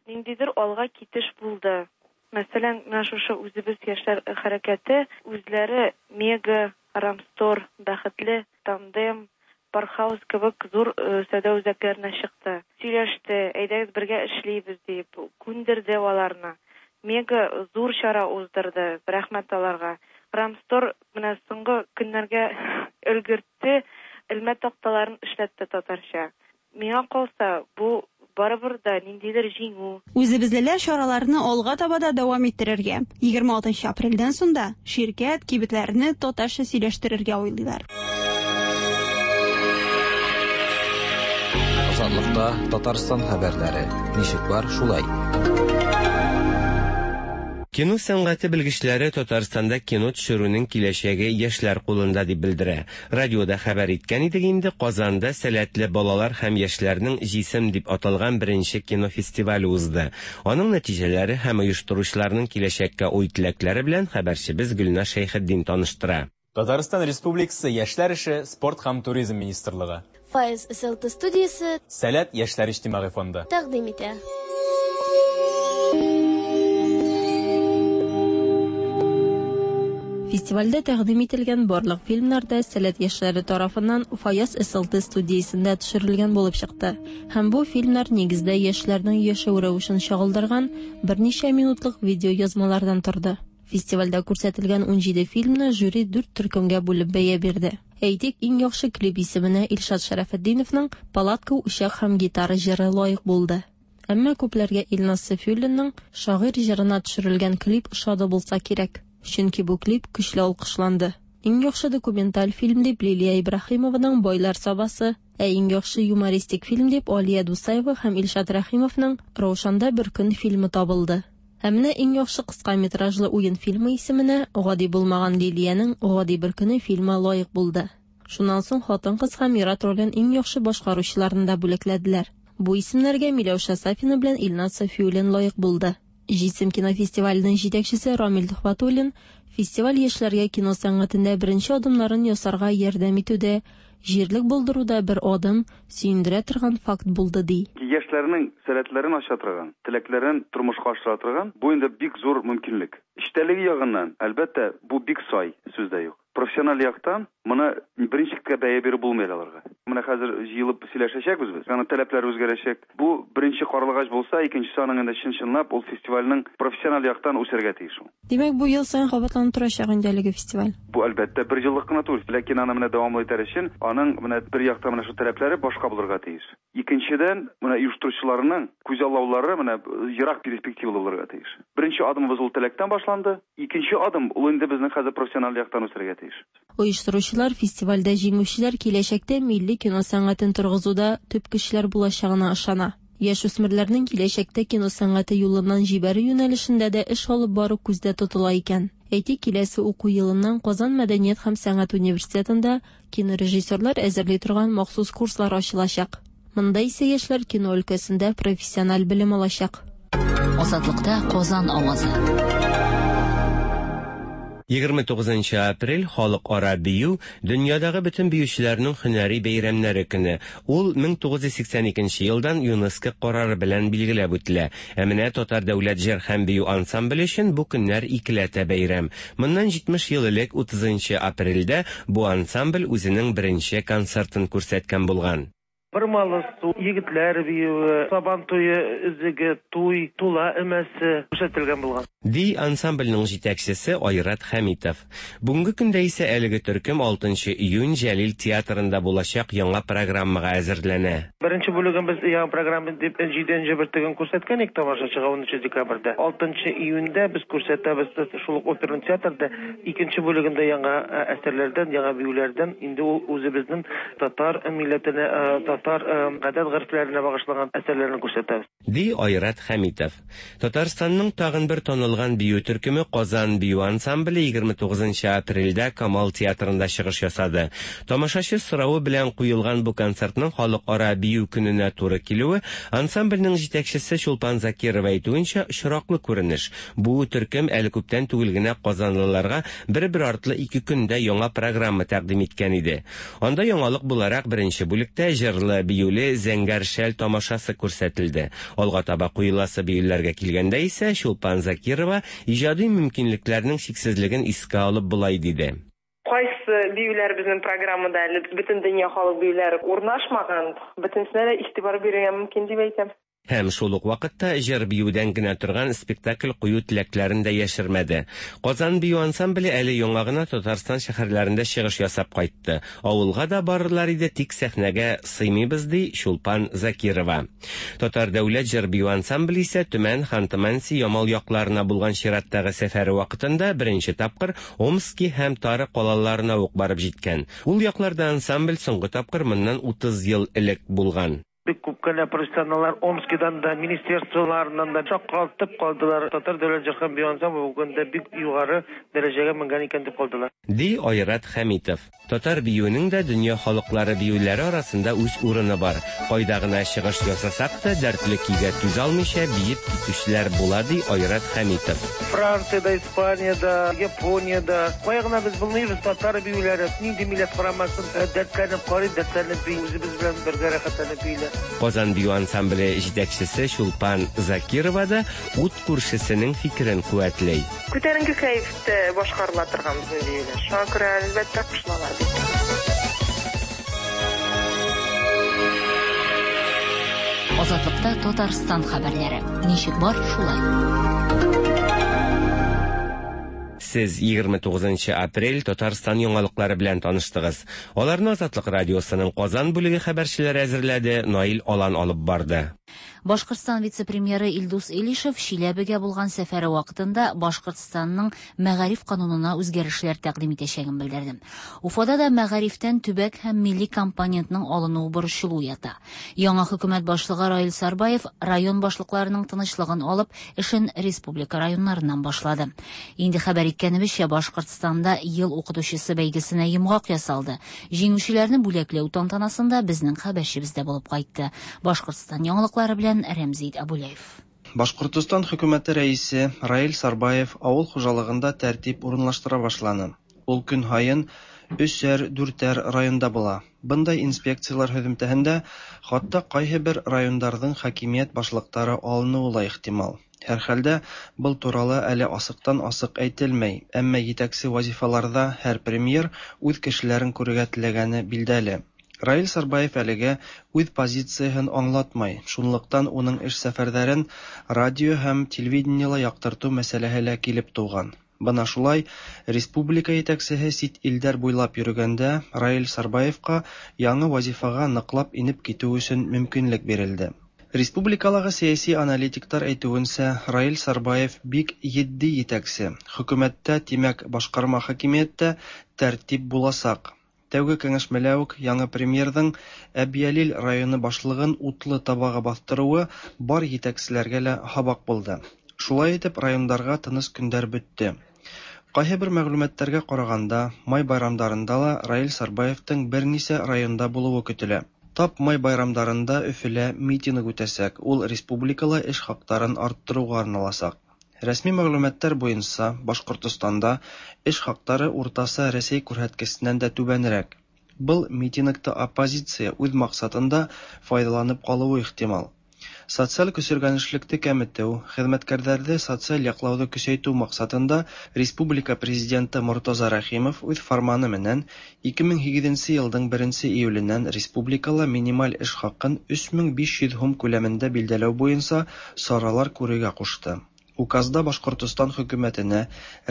Ниндидер алга китеш булды. Мәсәлән, менә шушы үзебез яшьләр хәрәкәте үзләре Мега, Рамстор, Бәхетле, Тандем, Пархаус кебек зур сәүдә үзәкләренә чыкты. Сөйләште, әйдәгез бергә эшлибез дип, күндерде аларны. Мега зур чара уздырды, рәхмәт аларга. Рамстор менә соңгы көннәргә өлгертте, элмә такталарын эшләтте татарча. Миңа калса, бу барыбер да ниндидер җиңү. Үзебезлеләр чараларны алга таба да дәвам иттерергә. егерме алтынчы апрельдән соң да ширкәт кибетләрне татарча сөйләштерергә уйлыйлар. Азатлыкта Татарстан хәбәрләре. Ничек бар, шулай. Кино сәнгате белгечләре Татарстанда кино төшерүнең киләчәге яшьләр кулында дип белдерә. Радиода хәбәр иткән идек инде, Казанда сәләтле балалар һәм яшьләрнең Җисем дип аталган беренче кино фестивале узды. Аның нәтиҗәләре һәм оештыручыларның киләчәккә уй-теләкләре белән хәбәрчебез Гөлназ Шәйхетдин таныштыра. Татарстан Республикасы Яшьләр эше, спорт һәм туризм министрлыгы. Файз эс эл тэ студиясе Сәләт яшьләр иҗтимагый фонды тәкъдим итә. Фестивальдә тәкъдим ителгән барлык фильмнар да Сәләт яшьләре тарафыннан Фаяз С Л Т студиясендә төшерелгән булып чыкты. Һәм бу фильмнар нигездә яшьләрнең яшәү рәвешен чагылдырган берничә минутлык видеоязмалардан торды. Фестивальдә күрсәтелгән унҗиде фильмны жюри дүрт төркемгә бүлеп бәя бирде. Әйтик, иң яхшы клип исеменә Илшат Шәрәфетдиновның «Палатка, учак һәм гитара» җыры лаек булды. Әмма күпләргә Илназ Сафиуллинның «Шагыйрь» җырына төшерелгән клип ошады булса кирәк. Чөнки бу клип көчле алкышланды. Иң яхшы документаль фильм дип Лилия Ибраһимованың «Байлар Сабасы», ә иң яхшы юмористик фильм дип Алия Дусаева һәм Илшат Рәхимовның «Раушанда бер көн» фильмы табылды. Ә менә иң яхшы кыска метражлы уен фильмы исеменә гади булмаган Лилиянең «Гади бер көне» фильмы лаек булды. Шуннан соң хатын-кыз һәм ир-ат ролен иң яхшы башкаручыларны да бүләкләделәр. Бу исемнәргә Миләүшә Сафина белән Илназ Сафиуллин лаек булды. Җисем кинофестиваленең җитәкчесе Рамил Төхвәтуллин фестиваль яшьләргә кино сәнгатендә беренче адымнарын ясарга ярдәм итүдә, җирлек булдыруда бер адым, сөендерә торган факт булды, ди. Яшьләрнең сәләтләрен ача торган, теләкләрен тормышка ашыра торган, бу инде бик зур мөмкинлек. Эчтәлеге ягыннан, әлбәттә, бу бик сай, сүз дә юк. Профессиональ яктан моны беренчелеккә бәя биреп булмый аларга. Менә хәзер җыелып сөйләшәчәкбез без. Аның таләпләре үзгәрәчәк. Бу беренче карлыгач булса, икенчесе аның инде чын-чынлап ул фестивальнең профессиональ яктан үсәргә тиеш ул. Димәк, бу ел саен кабатланып торачак инде әлеге фестиваль. Бу әлбәттә бер еллык кына түгел, ләкин аны менә дәвамлы итәр өчен аның менә бер яктан менә шул таләпләре башка булырга тиеш. Икенчедән, менә оештыручыларның күзаллаулары менә ерак перспективалы булырга тиеш. Беренче адымыбыз ул теләктән башланды. Икенче адым ул инде безнең хәзер профессиональ яктан үсәргә тиеш. Оештыручылар фестивальдә җиңүчеләр киләчәктә милли кино сәнгатен торгызуда төп көчләр булачагына ышана. Яшүсмерләрнең киләчәктә кино сәнгате юлыннан җибәрү юнәлешендә дә эш алып бару күздә тотыла икән. Әйтик, киләсе уку елыннан Казан мәдәният һәм сәнгать университетында кинорежиссерлар әзерли торган махсус курслар ачылачак. Монда исә яшьләр кино өлкәсендә профессиональ белем алачак. Азатлыкта Казан авазы. егерме тугызынчы апрель халыкара бию, дөньядагы бөтен биючеләрнең һөнәри бәйрәмнәре көне. Ул мең тугыз йөз сиксән икенче елдан ЮНЕСКО карары белән билгеләп үтелә. Ә менә Татар дәүләт җыр һәм бию ансамбле өчен бу көннәр икеләтә бәйрәм. Моннан җитмеш ел элек утызынчы апрельдә бу ансамбль үзенең беренче концертын күрсәткән булган. Бормалы су, егетләр биюе, сабан туе өзеге, туй, тула өмәсе күрсәтелгән булган. Ди ансамбльнең җитәкчесе Айрат Хәмитов. Бүгенге көндә исә әлеге төркем алтынчы июнь Җәлил театрында булачак яңа программага әзерләнә. Беренче бүлеген без яңа программа дип җиденче бөртеген күрсәткән идек тамашачыга унынчы декабрьдә. алтынчы июньдә без күрсәтәбез шул ук оперный театрда икенче бүлегендә яңа әсәрләрдән, яңа биюләрдән, инде ул үзебезнең татар милләтенә, татар гадәт горефләренә багышланган әсәрләрне күрсәтәбез. Ди Айрат Хәмитов. Татарстанның тагын бер танылган бию төркеме Казан бию ансамбле егерме тугызынчы апрельдә Камал театрында чыгыш ясады. Тамашачы соравы белән куелган бу концертның халыкара бию көненә туры килүе, ансамбльнең җитәкчесе Чулпан Закирова әйтүенчә, очраклы күренеш. Бу төркем әле күптән түгел генә казанлыларга бер-бер артлы ике көндә яңа программа тәкъдим иткән иде. Анда яңалык буларак беренче бүлектә җырлы биюле Зәңгәр шәл тамашасы күрсәтелде. Алга таба куеласы биюләргә килгәндә исә Чулпан Закирова иҗади мөмкинлекләрнең чиксезлеген искә алып болай диде. Кайсы биюләр безнең программада әле бөтен дөнья халык биюләре урнашмаган, бөтенесенә дә игътибар бирергә мөмкин дип әйтәм. Һәм шул ук вакытта җыр биюдән генә торган спектакль кую теләкләрен дә яшермәде. Казан бию ансамбле әле яңа гына Татарстан шәһәрләрендә чыгыш ясап кайтты. Авылга да барырлар иде, тик сәхнәгә сыймыйбыз, ди Чулпан Закирова. Татар дәүләт җыр бию ансамбле исә Төмән, Ханты-Манси, Ямал якларына булган чираттагы сәфәре вакытында беренче тапкыр Омски һәм Тара калаларына ук барып җиткән. Ул якларда ансамбль соңгы тапкыр моннан утыз ел элек булган. Бик күп кенә профессионаллар Омскидан да, министерстволарыннан да шаккатып калдылар. Татар дәүләт җыр һәм бию ансамбле бүген дә бик югары дәрәҗәгә менгән икән дип калдылар. Ди Айрат Хәмитов. Татар биюенең дә дөнья халыклары биюләре арасында үз урыны бар. Кайда гына чыгыш ясасак та, дәртле көйгә түзә алмыйча биеп китүчеләр була, ди Айрат Хәмитов. Франциядә, Испаниядә, Япониядә, кая гына без булмыйбыз, татар биюләре, нинди милләт карамасын, дәртләнеп карый, дәртләнеп бии, үзебез белән бергә рәхәтләнеп бииләр. Казан бию ансамбле җитәкчесе Чулпан Закирова да ут күршесенең фикерен куәтләй. Күтәренке кәефтә башкарыла торган безнең биюләр. Шуңа күрә, әлбәттә, кушылалар бит. Азатлыкта Татарстан хәбәрләре. Ничек бар, шулай. Сез егерме тугызынчы апрель Татарстан яңалыклары белән таныштыгыз. Аларны Азатлык радиосының Казан бүлеге хәбәрчеләре әзерләде, Наил Алан алып барды. Башкортстан вице-премьеры Илдус Илишев Чиләбегә булган сәфәре вакытында Башкортстанның мәгариф канунына үзгәрешләр тәкъдим итәчәген белдерде. Уфада да мәгарифтән төбәк һәм милли компонентның алынуы борчылу ята. Яңа хөкүмәт башлыгы Раил Сарбаев район башлыкларының тынычлыгын алып, эшен республика районнарыннан башлады. Инде хәбәр иткәнебезчә, Башкортстанда ел укытучысы бәйгесенә йомгак ясалды. Җиңүчеләрне бүләкләү тантанасында безнең хәбәрчебез дә булып кайтты. Башкортстан яңалыклары белән Рәмзит Абулаев. Башкортостан хөкүмәте рәисе Раил Сарбаев авыл хуҗалыгында тәртип урынлаштыра башланы. Ул көн һайын өсәр, дүртәр районда була. Бындай инспекциялар һөҙөмтәһендә хатта ҡайһы бер райондарҙың хакимиәт башлыҡтары алыныуы ла ихтимал. Һәр хәлдә был турала әле асыҡтан асыҡ әйтелмәй, әммә етәксе вазифаларҙа һәр премьер үҙ кешеләрен күрергә теләгәне билдәле. Раил Сарбаев әлегә үҙ позицияһын аңлатмай, шунлыҡтан уның эш сәфәрҙәрен радио һәм телевидениела яҡтыртыу мәсьәләһе лә килеп тыуған. Бына шулай, республика етәксеһе сит илдәр буйлап йөрөгәндә Раил Сарбаевҡа яңы вазифаға ныҡлап инеп китеү өсөн мөмкинлек бирелде. Республикалағы сәйәси аналитиктар әйтеүенсә, Раил Сарбаев бик етди етәксе. Хөкүмәттә, тимәк, башҡарма хакимиәттә тәртип буласаҡ. Тәүге кәңәшмәлә үк яңы премьерҙың Әбйәлил районы башлығын утлы табаға баҫтырыуы бар етәкселәргә лә һабаҡ булды. Шулай итеп, райондарға тыныс көндәр бөттө. Ҡайһы бер мәғлүмәттәргә ҡарағанда, май байрамдарында ла Раил Сарбаевтың бер нисә районда булыуы көтөлә. Тап май байрамдарында Өфөлә митинг үтәсәк, ул республикала эш хаҡтарын арттырыуға арналасаҡ. Рәсми мәғлүмәттәр буйынса, Башҡортостанда эш хаҡтары уртаса Рәсәй күрһәткесенән дә түбәнерәк. Был митингты оппозиция үҙ маҡсатында файҙаланып ҡалыуы ихтимал. Социаль көсөргәнешлекте кәметеү, хеҙмәткәрҙәрҙе социаль яҡлауҙы көсәйтеү маҡсатында Республика Президенты Мортаза Рәхимов үҙ фарманы менән ике мең һигеҙенсе йылдың беренсе июленән республикала минималь эш хаҡын өс мең биш йөҙ һум күләмендә билдәләү буйынса саралар күрергә ҡушты. Указда Башҡортостан хөкүмәтенә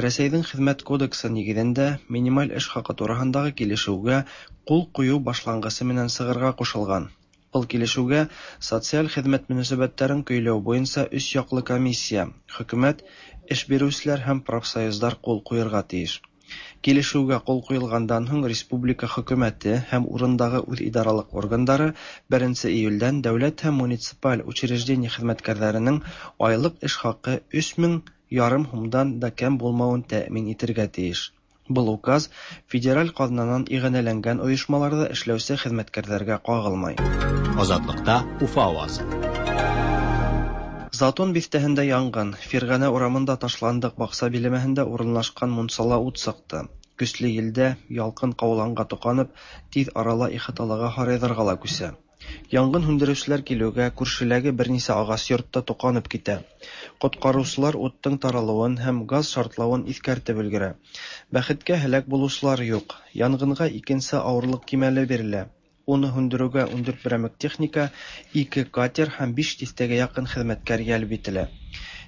Рәсәйҙең хеҙмәт кодексы нигеҙендә минималь эш хаҡы тураһындағы килешеүгә ҡул ҡуйыу башланғысы менән сығырға ҡушылған. Был килешеүгә социаль хеҙмәт мөнәсәбәттәрен көйләү буйынса өс яҡлы комиссия, хөкүмәт, эш биреүселәр һәм профсоюздар ҡул ҡуйырға тейеш. Килешеүгә ҡул ҡуйылғандан һуң республика хөкүмәте һәм урындағы үҙ идаралыҡ органдары беренсе июлдән дәүләт һәм муниципаль учреждение хеҙмәткәрҙәренең айлыҡ эш хаҡы өс мең ярым һумдан да кәм булмауын тәьмин итергә тейеш. Был указ федераль ҡаҙнанан иғәнәләнгән ойошмаларҙа эшләүсе хеҙмәткәрҙәргә ҡағылмай. Азатлыкта Уфа авазы. Затон биҫтәһендә янғын, Фирғәнә урамында ташландыҡ баҡса биләмәһендә урынлашҡан мунсала ут сыҡты. Көслө елдә ялҡын ҡауланға тоҡанып, тиҙ арала ихаталағы һарайҙарға ла күсә. Яңғын һүндереүселәр килеүгә күршеләге бер нисә ағас йортта тоҡанып китә. Ҡотҡарыусылар уттың таралыуын һәм газ шартлауын иҫкәртеп өлгөрә. Бәхеткә һәләк булыусылар юҡ. Янғынға икенсе ауырлыҡ кимәле бирелә. Уны һүндереүгә ун дүрт берәмек техника, ике катер һәм биш тиҫтәгә яҡын хеҙмәткәр йәлеп ителә.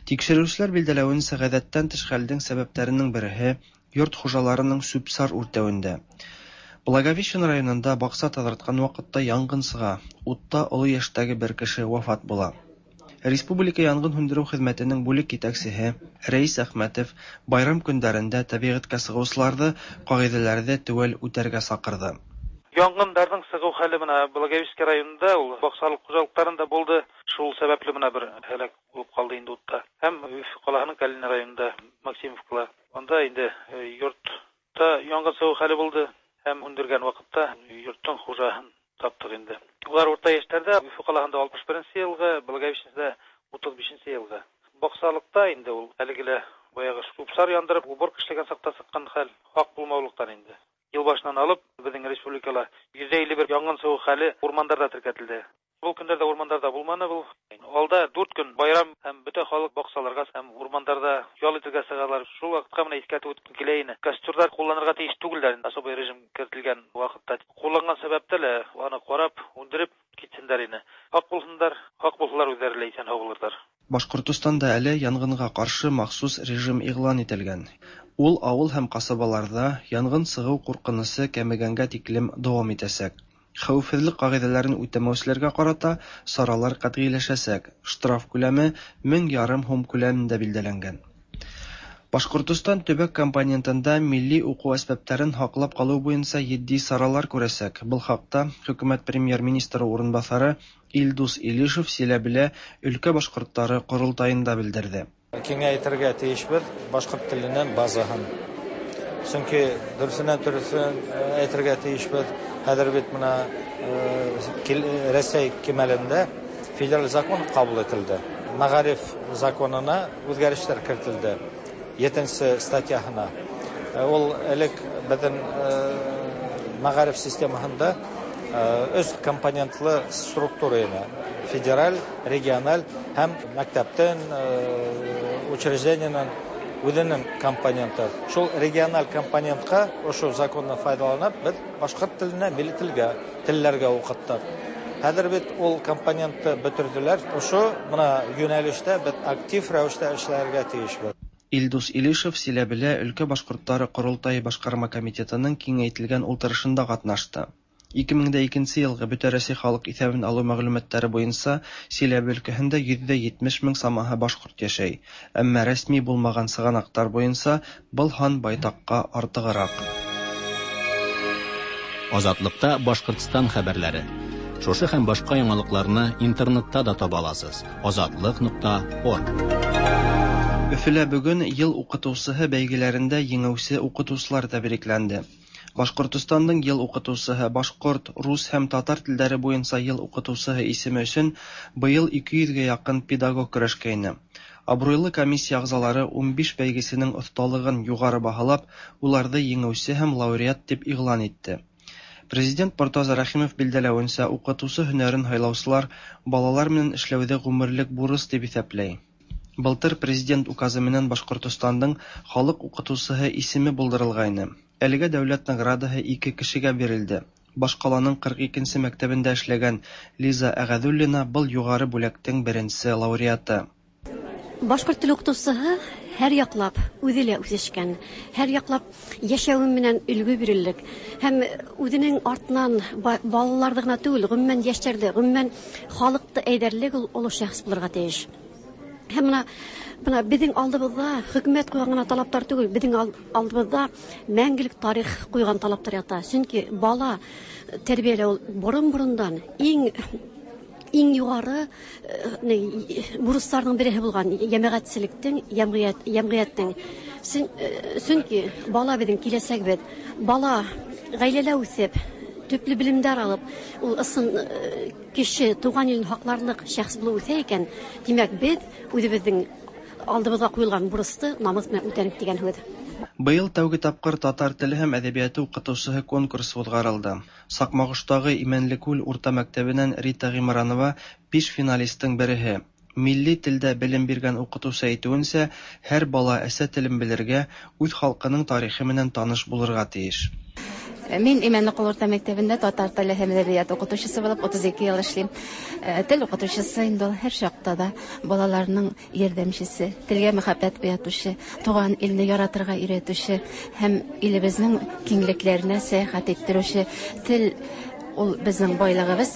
Тикшереүселәр билдәләүенсә, ғәҙәттән тыш хәлдең сәбәптәренең береһе йорт хужаларының сүп-сар үртәүендә. Благовещен районында баҡса таҙартҡан ваҡытта янғын сыға. Утта оло йәштәге бер кеше вафат була. Республика янғын һүндереү хеҙмәтенең бүлек етәксеһе Рәис Әхмәтов байрам көндәрендә тәбиғәткә сығыусыларҙы ҡағиҙәләрҙе теүәл үтәргә саҡырҙы. Янгындарҙың сығыу хәле бына Благовещенский районында, ул баҡсалыҡ хужалыҡтарында булды. Шул сәбәпле бына бер һәләк булып ҡалды инде утта. Һәм Өфө ҡалаһының Калинин районында, Максимовкала. Унда инде йортта янгын сығыу хәле булды. Һәм һүндергән ваҡытта йорттоң хужаһын таптыҡ инде. Улар урта йәштәрҙә, Өфө ҡалаһында алтмыш беренсе йылғы, Благовещенскийҙа утыҙ бишенсе йылғы. Баҡсалыҡта инде ул әлеге лә баяғы сүп-сар яндырып, уборка эшләгән саҡта сыҡҡан хәл, хаҡ булмаулыҡтан инде. Йыл башынан алып, беҙҙең республикала йөҙ илле бер янгын сығыу хәле урмандарҙа теркәтелде. Бу көннәрдә урмандарда булманы бу. Алда дүрт көн байрам һәм бөтә халык бакчаларга һәм урмандарда ял итергә чыгалар. Шул вакытка менә искәртеп үткем килә ине. Костюрлар кулланырга тиеш түгелләр, особый режим кертелгән вакытта. Кулланган сәбәптә лә аны карап, үндереп китсеннәр ине. Хак булсыннар, хак булсалар үзләре лә исән һау булырлар. Башкортостанда әле янгынга каршы махсус режим игълан ителгән. Ул авыл һәм касабаларда янгын чыгу куркынычы кәмегәнгә тиклем дәвам итәчәк. Хәвефсезлек кагыйдәләрен үтәмәүчеләргә карата чаралар катгыйләшәчәк. Штраф күләме мең ярым һум күләмендә билгеләнгән. Башкортостан төбәк компонентында милли уку әсбапларын һаклап калу буенча җитди чаралар күрәчәк. Бу хакта хөкүмәт премьер-министры урынбасары Илдус Илишев Силәбелә өлкә башкортлары корылтаенда белдерде. Киңәйтергә тиешбез башкорт теленең базаһын. Чөнки дөресеннән дөресен әйтергә тиешбез. Хәзер бит менә Рәсәй кимәлендә федераль закон кабул ителде. Мәгариф законына үзгәрешләр кертелде. Етенсе статьяһына. Ул элек безнең мәгариф системаһында өч компонентлы структура ине. Федераль, региональ һәм мәктәптән, учреждениенең үзенең компоненты. Шул региональ компонентка ошо законны файдаланып, без башкорт теленә, милли телгә, телләргә укыттык. Хәзер бит ул компонентны бетерделәр. Ошо менә юнәлештә без актив рәвештә эшләргә тиешбез. Илдус Илишев Силәбелә өлкә башкортлары корылтае башкарма комитетының киңәйтелгән ултырышында катнашты. ике мең дә икенче елгы Бөтә Рәсәй халык исәбен алу мәгълүматлары буенча Силәбе өлкәһендә йөз дә җитмеш мең самаһы башкорт яшәй. Әмма рәсми булмаган сыганаклар буенча был һан байтакка артыграк. Азатлыкта Башкортстан хәбәрләре. Шушы һәм башка яңалыкларны интернетта да таба аласыз. Азатлык нокта орг. Өфөлә бүген ел укытучыһы бәйгеләрендә җиңүче укытучылар тәбрикләнде. Башкортостанның ел укытучыһы, башкорт, рус һәм татар телләре буенча ел укытучыһы исеме өчен быел ике йөзгә якын педагог көрәшкәйне. Абруйлы комиссия әгъзалары унбиш бәйгесенең осталыгын югары баһалап, уларны җиңүче һәм лауреат дип игълан итте. Президент Мортаза Рәхимов билгеләвенчә, укытучы һөнәрен һайлаучылар балалар менән эшләүҙе ғүмерлек бурыс дип иҫәпләй. Былтыр президент указы менән Башкортостандың халыҡ уҡытыусыһы исеме булдырылғайны. Әлегә дәүләт наградаһы ике кешегә бирелде. Башҡаланың ҡырҡ икенсе мәктәбендә эшләгән Лиза Әғәҙуллина был юғары бүләктең беренсе лауреаты. Башҡорт теле уҡытыусыһы һәр яҡлап үҙе лә үҫешкән, һәр яҡлап йәшәүе менән өлгө биреллек һәм үҙенең артынан балаларҙы ғына түгел, ғөмүмән йәштәрҙе, ғөмүмән халыҡты әйҙәрлек ул оло шәхес булырға тейеш. Һәм бына, бына беҙҙең алдыбыҙҙа хөкүмәт ҡуйған ғына талаптар түгел, беҙҙең алдыбыҙҙа мәңгелек тарих ҡуйған талаптар ята. Сөнки бала тәрбиәләү ул борон-борондан иң иң юғары бурыстарҙың береһе булған йәмәғәтселектең, йәмғиәт, йәмғиәттең. Сөнки бала беҙҙең киләсәгебеҙ. Бала ғаиләлә үҫеп, төплө белемдәр алып, ул ысын кеше туған илен һаҡларлыҡ шәхес булып үҫә икән, тимәк, беҙ үҙебеҙҙең алдыбыҙға ҡуйылған бурысты намыҫ менән үтәнек тигән һүҙ. Быйыл тәүге тапҡыр татар теле һәм әҙәбиәте уҡытыусыһы конкурсы уҙғарылды. Саҡмағоштағы Имәнлекүл урта мәктәбенән Рита Ғимранова биш финалистың береһе. Милли телдә белем биргән уҡытыусы әйтеүенсә, һәр бала әсә телен белергә, үҙ халҡының тарихы менән таныш булырға тейеш. Мин Имәнлекул урта мәктәбендә татар теле һәм әҙәбиәт уҡытыусыһы булып утыҙ ике йыл эшләйем. Тел уҡытыусыһы инде ул һәр чаҡта да балаларының ярҙамсыһы, телгә мөхәббәт уятыусы, туған илне яратырға өйрәтеүсе һәм илебеҙҙең киңлектәренә сәйәхәт иттереүсе. Тел ул беҙҙең байлығыбыҙ.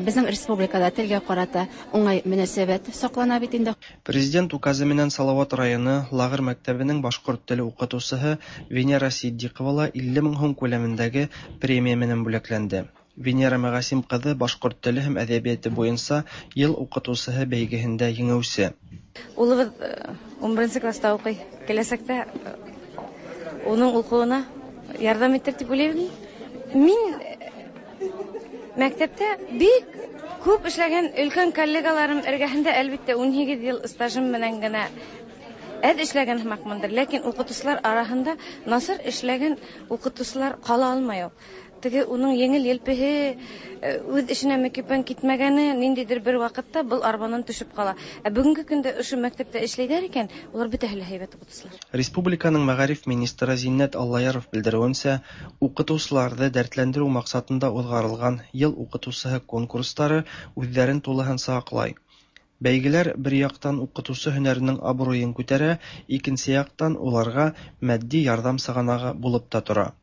Беҙҙең республикала телгә ҡарата уңай мөнәсәбәт саҡлана бит инде. Президент указы менән Салават районы Лағыр мәктәбенең башҡорт теле уҡытыусыһы Венера Сиддиҡова ла илле мең һум күләмендәге премия менән бүләкләнде. Венера Мәғәсим ҡыҙы башҡорт теле һәм әҙәбиәте буйынса йыл уҡытыусыһы бәйгеһендә еңеүсе. Улыбыҙ ун беренсе класта уҡый. Киләсәктә уның уҡыуына ярҙам итер тип уйлайым. Мин мәктәптә бик күп эшләгән өлкән коллегаларым эргәһендә, әлбиттә, ун һигеҙ йыл стажым менән генә әҙ эшләгән һымаҡмындыр, ләкин уҡытыусылар араһында насар эшләгән уҡытыусылар ҡала алмай ул. Теге уның еңел елпеһе, үҙ эшенә мөкиббән китмәгәне ниндәйҙер бер ваҡытта был арбанан төшөп ҡала. Ә бөгөнгө көндә ошо мәктәптә эшләйҙәр икән, улар бөтәһе лә һәйбәт уҡытыусылар. Республиканың мәғариф министры Зиннәт Аллаяров белдереүенсә, уҡытыусыларҙы дәртләндереү маҡсатында уҙғарылған йыл уҡытыусыһы конкурстары үҙҙәрен тулыһынса аҡлай. Бәйгеләр бер яҡтан уҡытыусы һөнәренең абруйын күтәрә, икенсе яҡтан уларға матди ярҙам сығанағы булып та тора.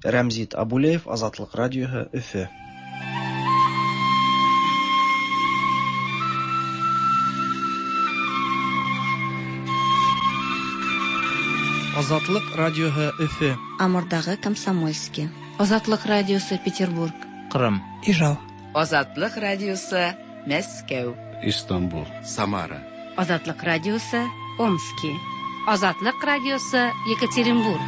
Рәмзит Абулеев, Азатлыҡ радиоһы, Өфө. Азатлыҡ радиоһы, Өфө. Амурдағы Комсомольский. Азатлыҡ радиосы, Петербург. Ҡырым. Ижау. Азатлыҡ радиосы, Мәскәү. Истанбул. Самара. Азатлыҡ радиосы, Омски. Азатлыҡ радиосы, Екатеринбург.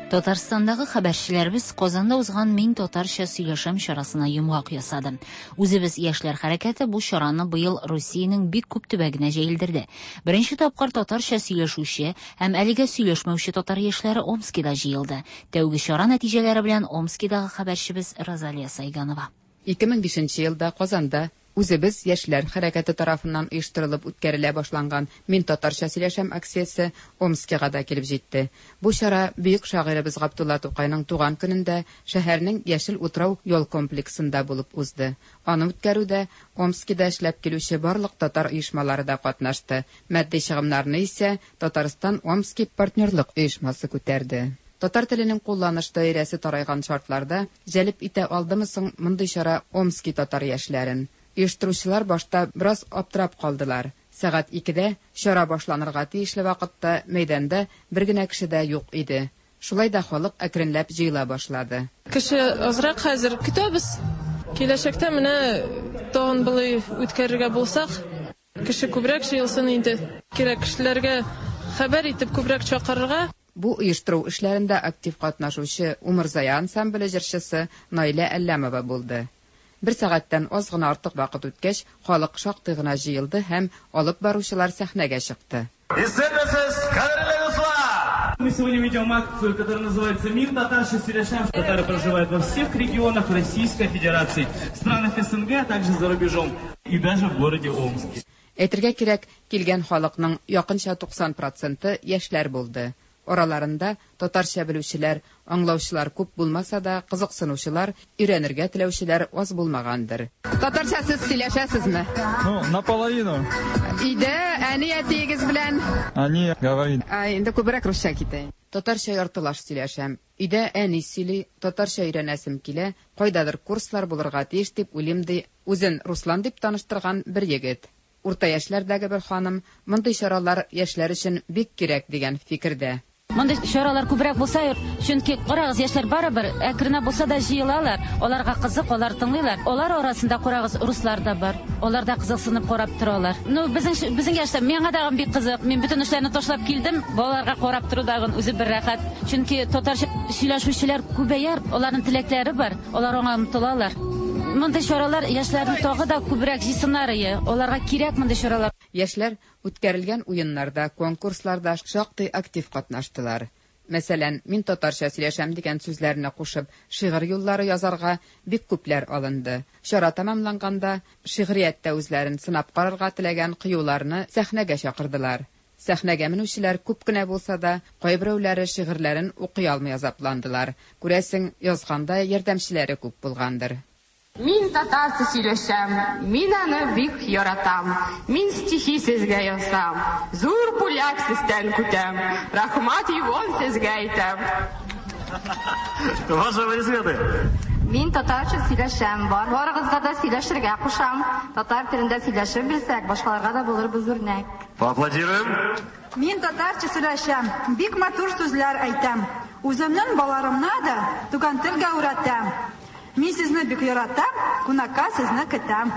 Татарстандагы хәбәрчеләребез Казанда узган Мин татарча сөйләшәм чарасына йомгак ясады. Үзебез яшьләр хәрәкәте бу чараны быел Русиянең бик күп төбәгенә җәелдерде. Беренче тапкыр татарча сөйләшүче һәм әлегә сөйләшмәүче татар яшьләре Омскида җыелды. Тәүге чара нәтиҗәләре белән Омскидагы хәбәрчебез Розалия Сайганова. ике мең бишенче елда Казанда Үзебез яшьләр хәрәкәте тарафыннан оештырылып үткәрелә башланган Мин татарча сөйләшәм акциясе Омскига да килеп җитте. Бу чара бөек шагыйребез Габдулла Тукайның туган көнендә шәһәрнең Яшел утрау ял комплексында булып узды. Аны үткәрүдә Омскида эшләп килүче барлык татар оешмалары да катнашты. Матди чыгымнарны исә Татарстан Омски партнерлык оешмасы күтәрде. Татар теленең кулланыш даирәсе тарайган шартларда җәлеп итә алдымы соң мондый чара Омски татар яшьләрен? Оештыручылар башта бераз аптырап калдылар. Сәгать икедә чара башланырга тиешле вакытта мәйданда бер генә кеше дә юк иде. Шулай да халык әкренләп җыела башлады. Кеше азрак хәзер көтәбез. Киләчәктә менә тагын болай үткәрергә булсак, кеше күбрәк җыелсын инде. Кирәк кешеләргә хәбәр итеп күбрәк чакырырга. Бу оештыру эшләрендә актив катнашучы Умырзая ансамбле җырчысы Наилә Әлләмова булды. Бер сәгатьтән аз гына артык вакыт үткәч, халык шактый гына җыелды һәм алып баручылар сәхнәгә чыкты. Исәнмесез, кадерле дуслар! Мы сегодня ведем акцию, которая называется «Мин татарча сөйләшәм». Татары проживают во всех регионах Российской Федерации, в странах СНГ, а также за рубежом и даже в городе Омске. Әйтергә кирәк, килгән халыкның якынча туксан проценты яшьләр булды. Араларында татарча белүчеләр, аңлаучылар күп булмаса да, кызыксынучылар, өйрәнергә теләүчеләр аз булмагандыр. Татарча сез сөйләшәсезме? Ну, наполовину. Өйдә әни әтиегез белән? Әни говорит. Ә, инде күбрәк русча китә. Татарча яртылаш сөйләшәм. Өйдә әни сөйли, татарча өйрәнәсем килә, кайдадыр курслар булырга тиеш дип уйлыйм, ди үзен Руслан дип таныштырган бер егет. Урта яшьләрдәге бер ханым мондый чаралар яшьләр өчен бик кирәк дигән фикердә. Мондый чаралар күбрәк булса, чөнки карагыз, яшьләр барыбер әкренә булса да җыелалар, аларга кызык, алар тыңлыйлар. Алар арасында карагыз, руслар да бар. Алар да кызыксынып карап торалар. Ну, безнең безнең яшьтә миңа да бик кызык. Мин бөтен эшләрне ташлап килдем. Балаларга карап тору дагын үзе бер рәхәт. Чөнки татарча сөйләшүчеләр күбәяр, аларның теләкләре бар, алар аңа омтылалар. Мондый чаралар яшьләрне тагы да күбрәк җыйсыннар ие. Аларга кирәк мондый чаралар. Яшьләр үткәрелгән уеннарда, конкурсларда шактый актив катнаштылар. Мәсәлән, мин татарча сөйләшәм дигән сүзләрне кушып, шигырь юллары язарга бик күпләр алынды. Чара тәмамланганда шигърияттә үзләрен сынап карарга теләгән кыюларны сәхнәгә чакырдылар. Сәхнәгә менүчеләр күп кенә булса да, кайберәүләре шигырьләрен укый алмый азапландылар. Күрәсең, язганда ярдәмчеләре күп булгандыр. Мин татарча сөйләшәм, мин аны бик яратам. Мин стихи сезгә язам, зур бүләк сездән көтәм. Рәхмәт Иван сезгә әйтәм. Ваши аплодисменты. Мин татарча сөйләшәм, бар барыгызга да сөйләшергә кушам. Татар телендә сөйләшеп белсәк, башкаларга да булырбыз үрнәк. Поаплодируем. Мин татарча сөйләшәм, бик матур сүзләр әйтәм. Үземнең балаларымны да туган телгә өйрәтәм. Мин сезне бик яратам, кунакка сезне көтәм.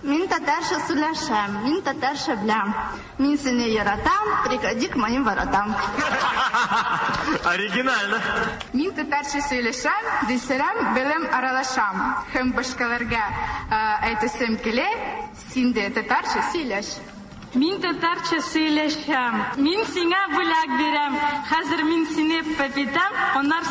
Мин татарча сөйләшәм, мин татарча беләм. Мин сине яратам, приходи к моим воротам. Оригинально. Мин татарча сөйләшәм, дисерәм, белем аралашам. Һәм башкаларга әйтәсем килә, син дә татарча сөйләш. Мин татарча сөйләшәм. Мин сиңа бүләк бирәм. Хәзер мин сине пәпитәм, аннан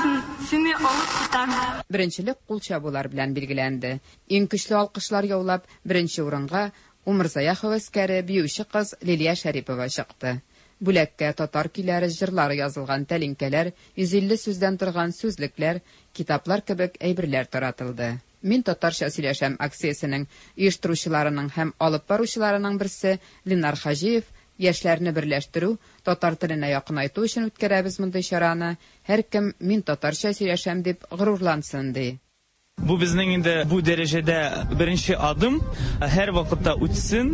сине алып китәм. Беренчелек кул чабулар белән билгеләнде. Иң көчле алкышлар яулап, беренче урынга Умырзая һәвәскәре биюче кыз Лилия Шәрипова чыкты. Бүләккә татар көйләре, җырлары язылган тәлинкәләр, йөз илле сүздән торган сүзлекләр, китаплар кебек әйберләр таратылды. Мин татарча сөйләшәм акциясенең оештыручыларының һәм алып баручыларының берсе Ленар Хаҗиев яшьләрне берләштерү, татар теленә якынайту өчен үткәрәбез мондый чараны. Һәркем мин татарча сөйләшәм дип горурлансын, ди. Бу безнең инде бу дәрәҗәдә беренче адым. Һәр вакытта үтсен,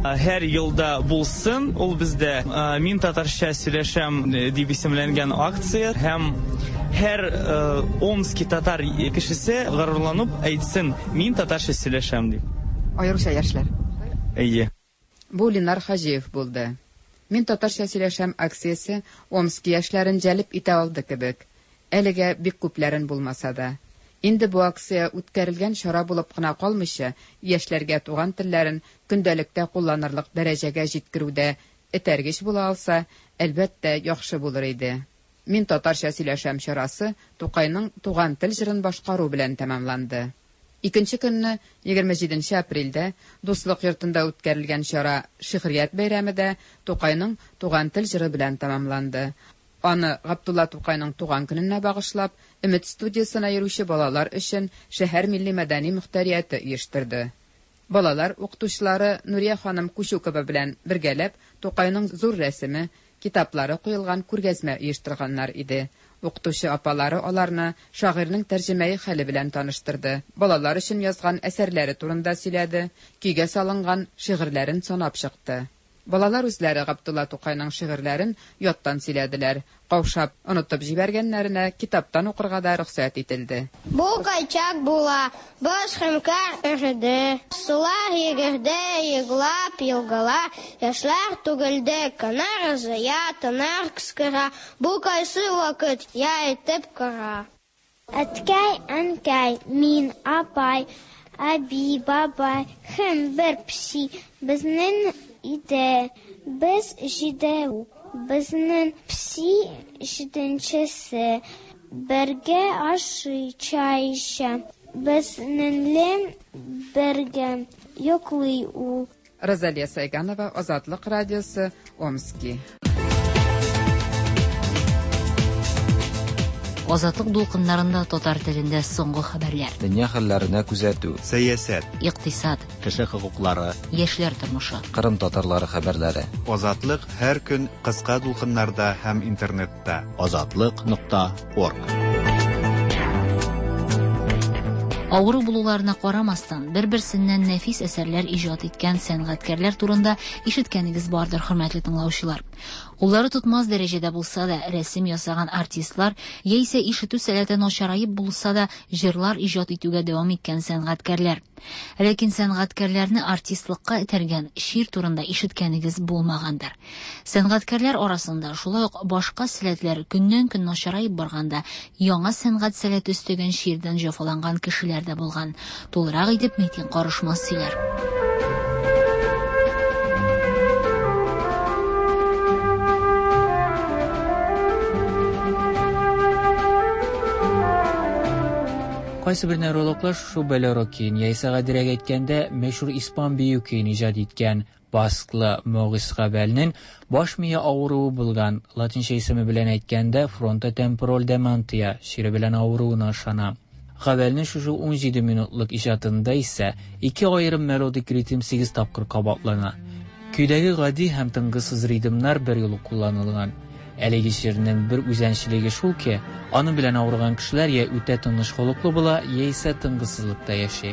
һәр елда булсын. Ул бездә Мин татарча сөйләшәм дип исемләнгән акция һәм һәр Омски татар кешесе горурланып әйтсен, мин татарча сөйләшәм дип. Аеруча яшьләр. Әйе. Бу Ленар Хаҗиев булды. Мин татарча сөйләшәм акциясе Омски яшьләрен җәлеп итә алды кебек. Әлегә бик күпләрен булмаса да. Инде бу акция үткәрелгән чара булып кына калмыйча, яшьләргә туган телләрен көндәлектә кулланырлык дәрәҗәгә җиткерүдә этәргеч була алса, әлбәттә, яхшы булыр иде. Мин татарча сөйләшәм чарасы Тукайның Туган тел җырын башкару белән тәмамланды. Икенче көнне, егерме җиденче апрельдә, Дуслык йортында үткәрелгән чара Шигърият бәйрәме дә Тукайның Туган тел җыры белән тәмамланды. Аны Габдулла Тукайның туган көненә багышлап, Өмет студиясенә йөрүче балалар өчен шәһәр милли мәдәни мөхтәрияте оештырды. Балалар укытучылары Нурия ханым Кучукова белән бергәләп Тукайның зур рәсеме, китаплары куелган күргәзмә оештырганнар иде. Укытучы апалары аларны шагыйрьнең тәрҗемәи хәле белән таныштырды. Балалар өчен язган әсәрләре турында сөйләде, көйгә салынган шигырьләрен санап чыкты. Балалар үзләре Габдулла Тукайның шигырьләрен яттан сөйләделәр. Каушап, онытып җибәргәннәренә китаптан укырга да рөхсәт ителде. Бу кайчак була, боз һәм кар эреде, сулар йөгерде, еглап елгалар, яшьләр түгелде, канар ызыя, тынар кыскыра, бу кайсы вакыт, я әйтеп кара. Әткәй, әнкәй, мин, апай, әби, бабай, һәм бер песи безнең иде. Без җидәү, безнең песи җиденчесе. Бергә ашый, чәй эчә, безнеңле бергә йоклый ул. Розалия Сайганова, Азатлык радиосы, Омски. Азатлык дулкыннарында татар телендә соңгы хәбәрләр. Дөнья хәлләренә күзәтү, сәясәт, икътисад, кеше хокуклары, яшьләр тормышы, Кырым татарлары хәбәрләре. Азатлык һәр көн кыска дулкыннарда һәм интернетта. Азатлык нокта орг. Авыру булуларына карамастан, бер-берсеннән нәфис әсәрләр иҗат иткән сәнгатькәрләр турында ишеткәнегез бардыр, хөрмәтле тыңлаучылар. Куллары тотмас дәрәҗәдә булса да, рәсем ясаган артистлар, яисә ишетү сәләте начараеп булса да, җырлар иҗат итүгә дәвам иткән сәнгатькәрләр. Ләкин сәнгатькәрләрне артистлыкка этәргән чир турында ишеткәнегез булмагандыр. Сәнгатькәрләр арасында шулай ук башка сәләтләр көннән-көн начараеп барганда, яңа сәнгать сәләте өстәгән чирдән җәфаланган кешеләр дә булган. Тулырак итеп Митин Карышмас сөйләр. Кайсы бер неврологлар шушы болеро көен, яисә гадирәк әйткәндә, мәшһүр испан бию көен иҗат иткән басклы Морис Рабелнең баш мие авыруы булган, латинча исеме белән әйткәндә, фронтотемпораль дементия чире белән авыруына ышана. Рабелнең шушы ун җиде минутлык иҗатында исә ике аерым мелодик ритм сигез тапкыр кабатлана. Көйдәге гади һәм тынгысыз ритмнар бер юлы кулланылган. Әлеге чирнең бер үзенчәлеге шул ки, аның белән авырган кешеләр я үтә тыныч холыклы була, яисә тынгысызлыкта яши.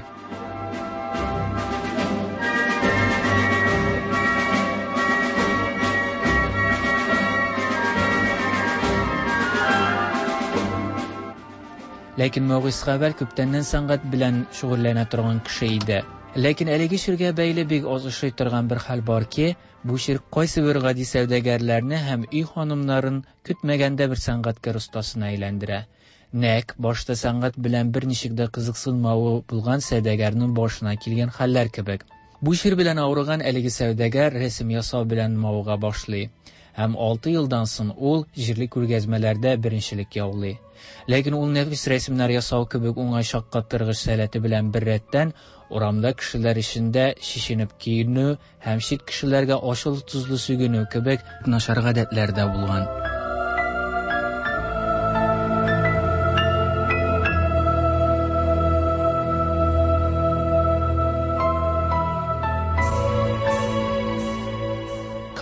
Ләкин Морис Рабель күптәннән сәнгать белән шөгыльләнә торган кеше иде. Ләкин әлеге чиргә бәйле бик аз очрый торган бер хәл бар ки, бу чир кайсы бер гади сәүдәгәрләрне һәм өй ханымнарын көтмәгәндә бер сәнгатькәр остасына әйләндерә. Нәк башта сәнгать белән берничек дә кызыксынмавы булган сәүдәгәрнең башына килгән хәлләр кебек. Бу чир белән авырган әлеге сәүдәгәр рәсем ясау белән мавыга башлый. Һәм алты елдан соң ул җирле күргәзмәләрдә беренчелек яулый. Ләкин ул нәфис рәсемнәр ясау кебек уңай шаккаттыргыч сәләте белән беррәттән урамда кешеләр эчендә шешенеп киенү һәм чит кешеләргә ачылы-тозлы сүгенү кебек начар гадәтләр дә булган.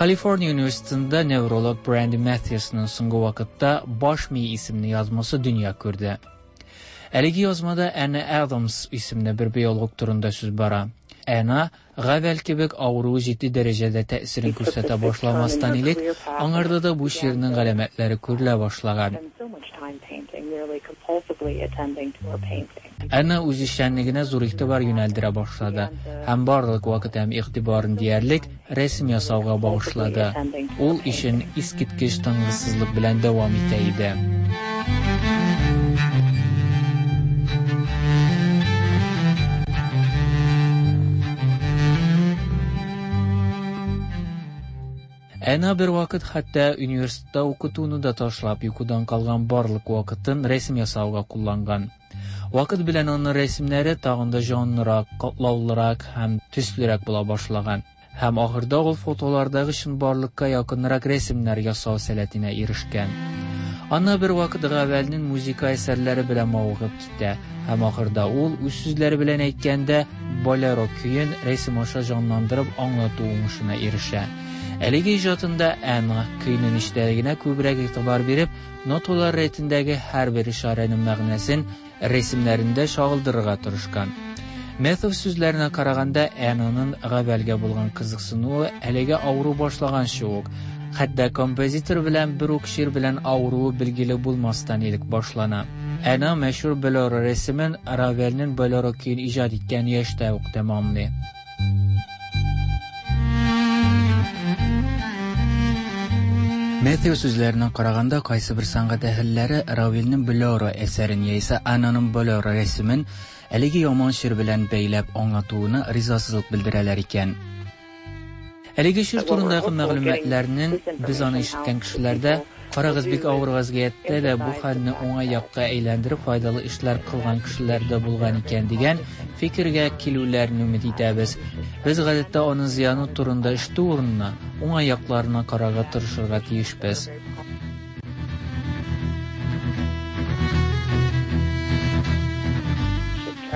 Калифорния университетында невролог Бренди Matthewsның соңгы вакытта «Баш мие» исемле язмасы дөнья күрде. Әлеге язмада Анна Адамс исемле бер биолог турында сүз бара. Анна Гавел кебек авыруы җитди дәрәҗәдә тәэсирен күрсәтә башламастан элек, аңарда да бу чирнең галәмәтләре күрелә башлаган. Анна үз эшчәнлегенә зур игътибар юнәлдерә башлады һәм барлык вакыт һәм игътибарын диярлек рәсем ясауга багышлады. Ул эшен искиткеч тынгысызлык белән дәвам итә иде. Әна бер вакыт хәтта университетта укытуны да ташлап, йокыдан калган барлык вакытын рәсем ясауга кулланган. Вакыт белән аның рәсемнәре тагын да җанлырак, катлаулырак һәм төслерәк була башлаган. Һәм ахырда ул фотолардагы чынбарлыкка якынрак рәсемнәр ясау сәләтенә ирешкән. Анна бер вакыт Гавелнең музыка әсәрләре белән мавыгып китә һәм ахырда ул үз сүзләре белән әйткәндә болеро көен рәсем аша җанландырып аңлату уңышына ирешә. Әлеге иҗатында Анна көйнең эчтәлегенә күбрәк игътибар биреп, ноталар рәтендәге һәрбер ишарәнең мәгънәсен рәсемнәрендә чагылдырырга тырышкан. Matthews сүзләренә караганда, Аннаның Гавелгә булган кызыксынуы әлеге авыру башлаганчы ук, хәтта композитор белән бер үк чир белән авыруы билгеле булмастан элек башлана. Анна мәшһүр Болеро рәсемен Равелнең Болеро көен иҗат иткән яшьтә үк тәмамлый. Matthews сүзләренә караганда, кайсы бер сәнгать әһелләре Равелнең Болеро әсәрен яисә Аннаның Болеро рәсемен әлеге яман чир белән бәйләп аңлатуына ризасызлык белдерәләр икән. Әлеге чир турындагы мәгълүматларның без аны ишеткән кешеләрдә карагыз бик авыр вазгыятьтә дә бу хәлне уңай якка әйләндереп файдалы эшләр кылган кешеләр дә булган икән дигән фикергә килүләрен өмет итәбез. Без гадәттә аның зыяны турында ишетү урынына уңай якларына карарга тырышырга тиешбез.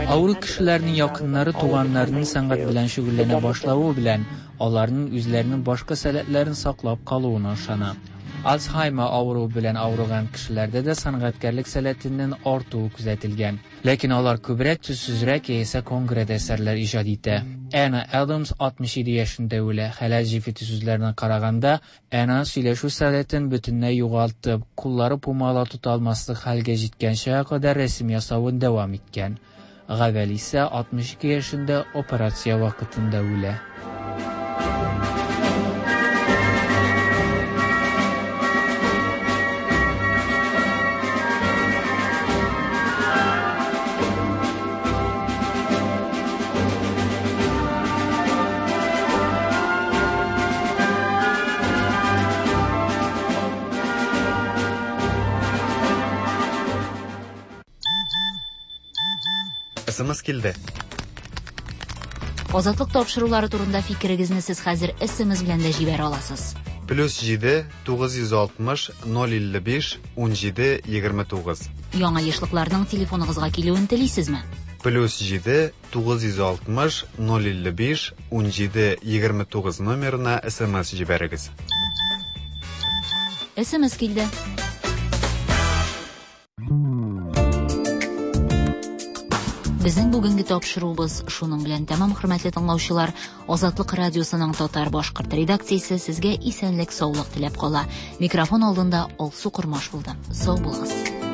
Авыру кешеләрнең якыннары туганнарының сәнгать белән шөгыльләнә башлавы белән аларның үзләренең башка сәләтләрен саклап калуына ышана. Альцгеймер авыруы белән авырган кешеләрдә дә сәнгатькәрлек сәләтенең артуы күзәтелгән. Ләкин алар күбрәк төссезрәк яисә конкрет әсәрләр иҗат итә. Анна Адамс алтмыш җиде яшендә үлә. Хәләл җефете сүзләренә караганда, Анна сөйләшү сәләтен бөтенләй югалтып, куллары пумала тота алмаслык хәлгә җиткәнчә кадәр рәсем ясавын дәвам иткән. Гавел исә алтмыш ике яшендә операция вакытында үлә. СМС килде. Азатлык тапшырулары турында фикерегезне сез хәзер СМС белән дә җибәрә аласыз. Плюс җиде тугыз йөз алтмыш ноль илле биш ун җиде егерме тугыз. Яңа ешлыкларның телефоныгызга килүен телисезме? Плюс җиде тугыз йөз алтмыш ноль илле биш ун җиде егерме тугыз номерына СМС җибәрегез. СМС килде. Безнең бүгенге тапшыруыбыз шуның белән тәмам, хөрмәтле тыңлаучылар. Азатлык радиосының татар башкорт редакциясе сезгә исәнлек, саулык теләп кала. Микрофон алдында Алсу Кормаш булды. Сау булыгыз.